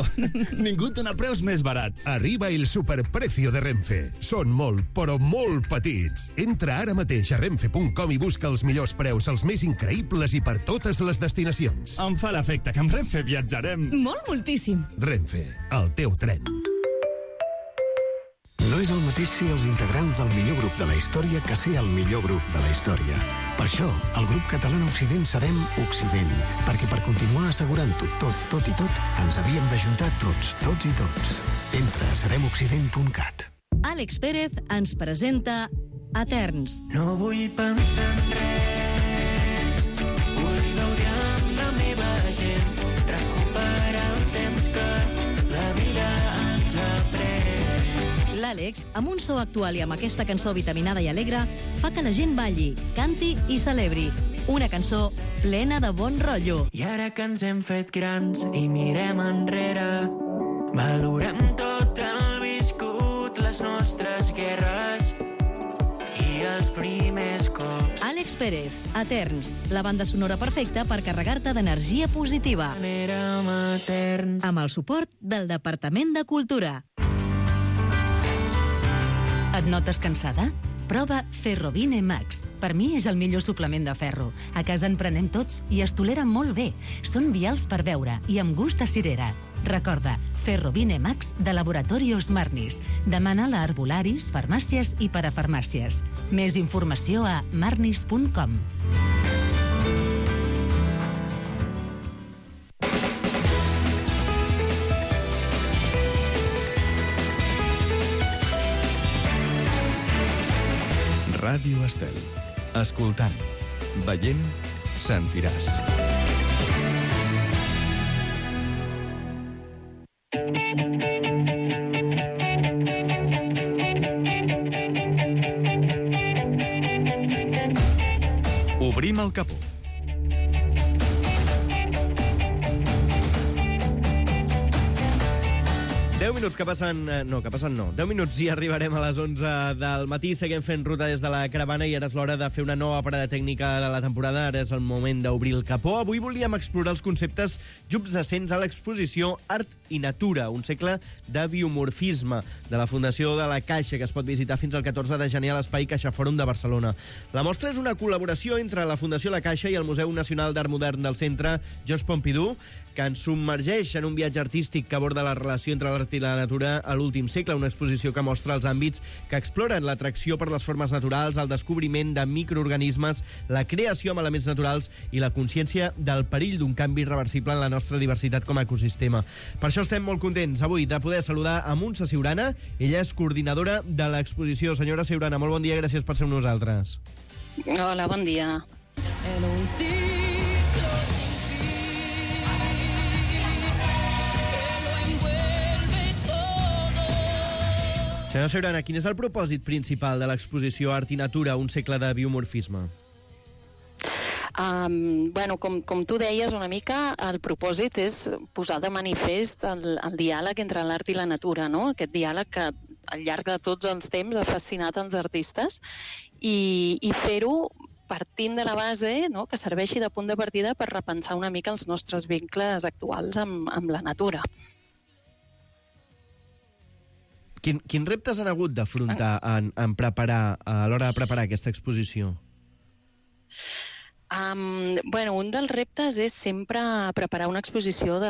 Ningú dona preus més barats.
Arriba el superprecio de Renfe. Són molt, però molt petits. Entra ara mateix a renfe.com i busca els millors preus, els més increïbles i per totes les destinacions.
Em fa l'efecte que amb Renfe viatjarem.
Moltíssim.
Renfe, el teu tren.
No és el mateix ser els integrants del millor grup de la història que ser el millor grup de la història. Per això, el grup català Occident serem Occident, perquè per continuar assegurant-ho tot i tot, ens havíem d'ajuntar tots i tots. Entra a seremoccident.cat.
Àlex Pérez ens presenta Eterns.
No vull pensar en res, vull gaudir amb la meva gent, recuperar el temps que la vida ens ha pres.
L'Àlex, amb un so actual i amb aquesta cançó vitaminada i alegre, fa que la gent balli, canti i celebri. Una cançó plena de bon rotllo.
I ara que ens hem fet grans i mirem enrere, valorem tot el viscut, les nostres guerres i els primers cops.
Àlex Àlex Pérez, Eterns, la banda sonora perfecta per carregar-te d'energia positiva. Amb el suport del Departament de Cultura. Et notes cansada? Prova Ferrovine Max. Per mi és el millor suplement de ferro. A casa en prenem tots i es tolera molt bé. Són vials per beure i amb gust de cirera. Recorda, Ferrovine Max de Laboratorios Marnis. Demana-la a arbolaris, farmàcies i parafarmàcies. Més informació a marnis.com.
Ràdio Estel. Escoltant, veient, sentiràs. Obrim el capó.
Minuts que passen... No, 10 minuts i arribarem a les 11 del matí. Seguim fent ruta des de la caravana i ara és l'hora de fer una nova parada tècnica de la temporada. Ara és el moment d'obrir el capó. Avui volíem explorar els conceptes subjacents a l'exposició Art i Natura, un segle de biomorfisme, de la Fundació de la Caixa, que es pot visitar fins al 14 de gener a l'Espai Caixa Fòrum de Barcelona. La mostra és una col·laboració entre la Fundació La Caixa i el Museu Nacional d'Art Modern del Centre Georges Pompidou, que ens submergeix en un viatge artístic que aborda la relació entre l'art i la natura a l'últim segle, una exposició que mostra els àmbits que exploren l'atracció per les formes naturals, el descobriment de microorganismes, la creació amb elements naturals i la consciència del perill d'un canvi irreversible en la nostra diversitat com a ecosistema. Per això estem molt contents avui de poder saludar a Montse Siurana. Ella és coordinadora de l'exposició. Senyora Siurana, molt bon dia, gràcies per ser amb nosaltres.
Hola, bon dia.
Senyora Siurana, quin és el propòsit principal de l'exposició Art i Natura, un segle de biomorfisme?
Com tu deies una mica, el propòsit és posar de manifest el diàleg entre l'art i la natura, no? Aquest diàleg que al llarg de tots els temps ha fascinat els artistes i fer-ho partint de la base, no? Que serveixi de punt de partida per repensar una mica els nostres vincles actuals amb la natura.
Quins reptes han hagut d'afrontar a l'hora de preparar aquesta exposició?
Un dels reptes és sempre preparar una exposició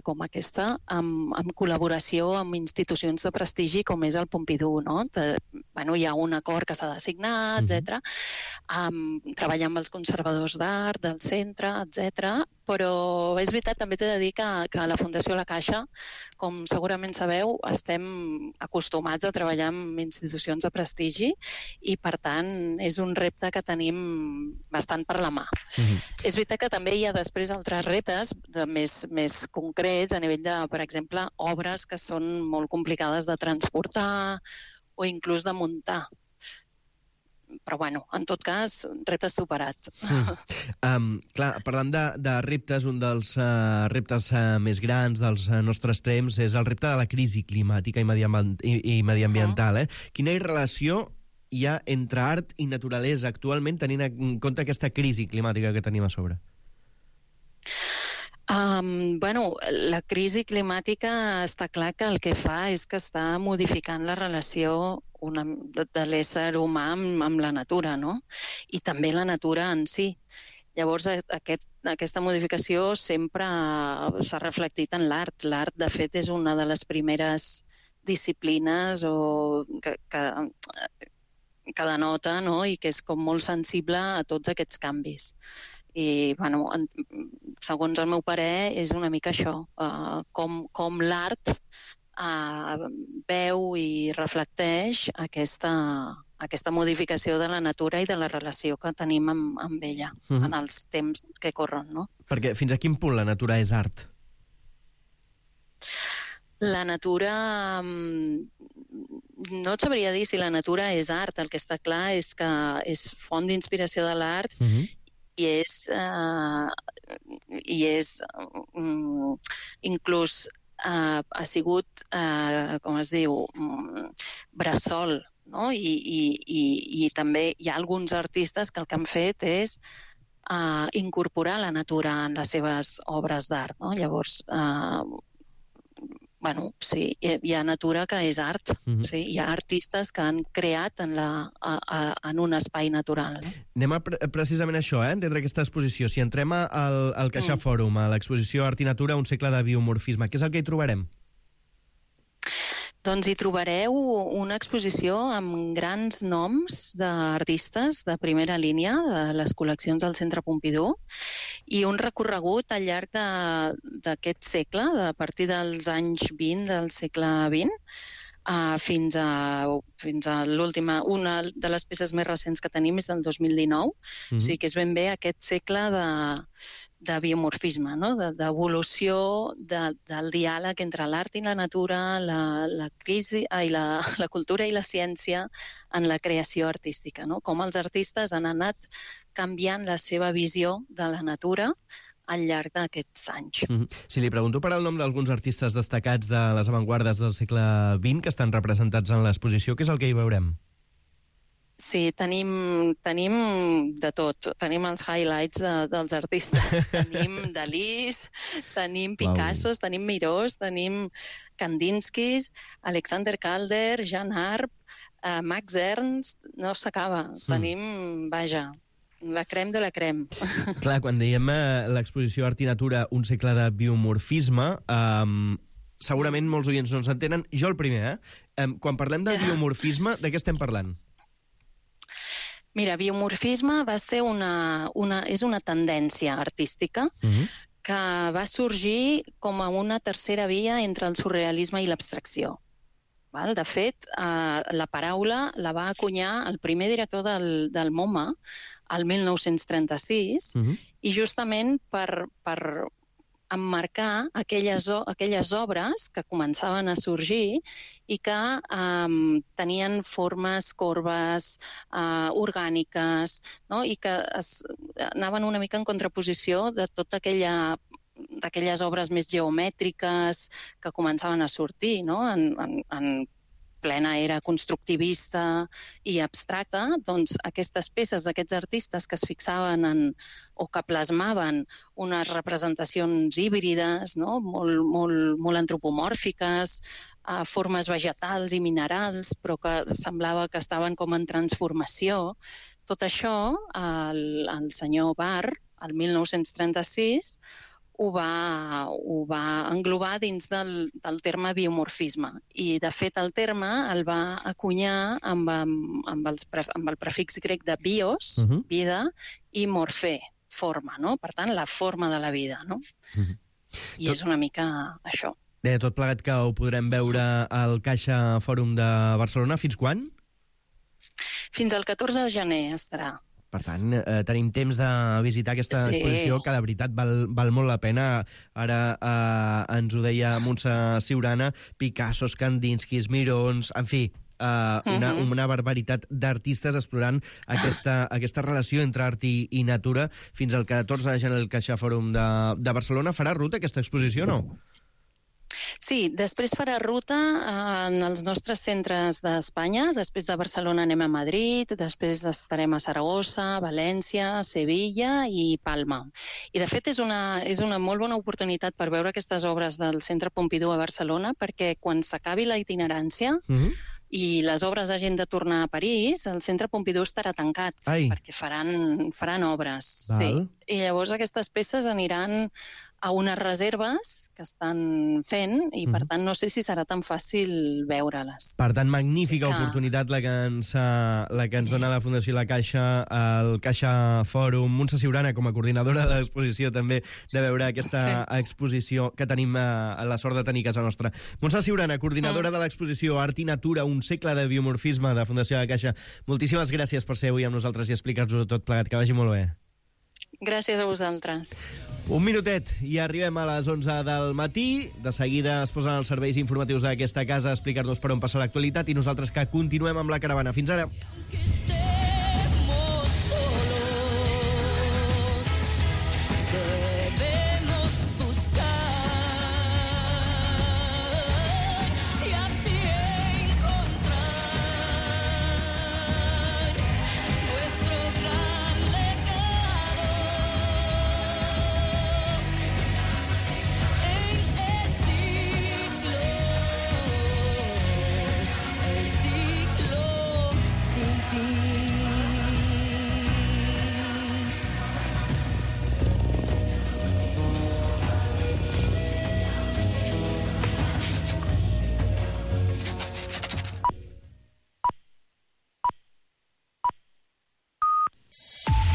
com aquesta amb col·laboració amb institucions de prestigi com és el Pompidou, no? Hi ha un acord que s'ha de signar, etc. Treballar amb els conservadors d'art del centre, etc. Però és veritat, també t'he de dir que a la Fundació La Caixa, com segurament sabeu, estem acostumats a treballar amb institucions de prestigi i, per tant, és un repte que tenim bastant per la mà. És veritat que també hi ha després altres reptes més concrets a nivell de, per exemple, obres que són molt complicades de transportar o inclús de muntar. Però, en tot cas, repte superat.
Clar, parlant de reptes, un dels reptes més grans dels nostres temps és el repte de la crisi climàtica i mediambiental. Quina relació hi ha entre art i naturalesa actualment, tenint en compte aquesta crisi climàtica que tenim a sobre?
La crisi climàtica està clar que el que fa és que està modificant la relació de l'ésser humà amb la natura, no? I també la natura en si. Llavors, aquesta modificació sempre s'ha reflectit en l'art. L'art, de fet, és una de les primeres disciplines que denota, no? I que és com molt sensible a tots aquests canvis. I, segons el meu parer, és una mica això, com l'art veu i reflecteix aquesta modificació de la natura i de la relació que tenim amb ella en els temps que corren, no?
Perquè fins a quin punt la natura és art?
La natura... No et sabria dir si la natura és art. El que està clar és que és font d'inspiració de l'art i és inclús ha sigut, com es diu, bressol no? I també hi ha alguns artistes que el que han fet és incorporar la natura en les seves obres d'art, no? Llavors, sí, hi ha natura que és art. Sí, hi ha artistes que han creat en un espai natural. No?
Anem precisament a això, entendre aquesta exposició. Si entrem al Caixa Fòrum, a l'exposició Art i Natura, un segle de biomorfisme, què és el que hi trobarem?
Doncs hi trobareu una exposició amb grans noms d'artistes de primera línia de les col·leccions del Centre Pompidou i un recorregut al llarg d'aquest segle, a partir dels anys 20 del segle XX, fins a l'última. Una de les peces més recents que tenim és del 2019, o sigui que és ben bé aquest segle de biomorfisme, no? D'evolució del diàleg entre l'art i la natura, la cultura i la ciència en la creació artística, no? Com els artistes han anat canviant la seva visió de la natura al llarg d'aquests anys.
Si li pregunto per el nom d'alguns artistes destacats de les avantguardes del segle XX que estan representats en l'exposició, què és el que hi veurem?
Sí, tenim de tot. Tenim els highlights dels artistes. Tenim Dalís, tenim Picassos, tenim Mirós, tenim Kandinskis, Alexander Calder, Jean Arp, Max Ernst, no s'acaba. Tenim, la crème de la crème.
Clar, quan diem l'exposició Art i Natura, un segle de biomorfisme, segurament molts oients no ens entenen. Jo el primer, quan parlem de biomorfisme, de què estem parlant?
Mira, biomorfisme va ser és una tendència artística que va sorgir com a una tercera via entre el surrealisme i l'abstracció. De fet, la paraula la va acunyar el primer director del MoMA el 1936 i justament per emmarcar aquelles obres que començaven a sorgir i que tenien formes corbes, orgàniques, no? I que anaven una mica en contraposició de tota d'aquelles obres més geomètriques que començaven a sortir, no? En plena era constructivista i abstracta, doncs aquestes peces d'aquests artistes que es fixaven o que plasmaven unes representacions híbrides, no? molt antropomòrfiques, formes vegetals i minerals, però que semblava que estaven com en transformació. Tot això, el senyor Barr, el 1936, ho va englobar dins del terme biomorfisme. I, de fet, el terme el va acunyar amb el prefix grec de bios, vida, i morfè, forma, no? Per tant, la forma de la vida, no? I és una mica això.
Tot plegat que ho podrem veure al Caixa Fòrum de Barcelona. Fins quan?
Fins al 14 de gener estarà.
Per tant, tenim temps de visitar aquesta exposició que de veritat val molt la pena. Ara ens ho deia Montse Siurana, Picassos, Kandinskis, Mirons, en fi, una barbaritat d'artistes explorant aquesta relació entre art i natura. Fins al 14 de gener el Caixa Fòrum de Barcelona. Farà ruta aquesta exposició, no?
Sí, després farà ruta en els nostres centres d'Espanya. Després de Barcelona anem a Madrid, després estarem a Saragossa, València, Sevilla i Palma. I, de fet, és una molt bona oportunitat per veure aquestes obres del Centre Pompidou a Barcelona, perquè quan s'acabi la itinerància i les obres hagin de tornar a París, el Centre Pompidou estarà tancat, perquè faran obres. Sí. I llavors aquestes peces aniran a unes reserves que estan fent i, per tant, no sé si serà tan fàcil veure-les.
Per tant, magnífica oportunitat la que ens dona la Fundació La Caixa, el Caixa Fòrum. Montse Siurana, com a coordinadora de l'exposició, també de veure aquesta exposició que tenim la sort de tenir a casa nostra. Montse Siurana, coordinadora de l'exposició Art i Natura, un segle de biomorfisme de Fundació La Caixa. Moltíssimes gràcies per ser avui amb nosaltres i explicar-nos-ho tot plegat. Que vagi molt bé.
Gràcies a vosaltres.
Un minutet i arribem a les 11 del matí. De seguida es posen els serveis informatius d'aquesta casa a explicar-nos per on passa l'actualitat i nosaltres que continuem amb la caravana. Fins ara.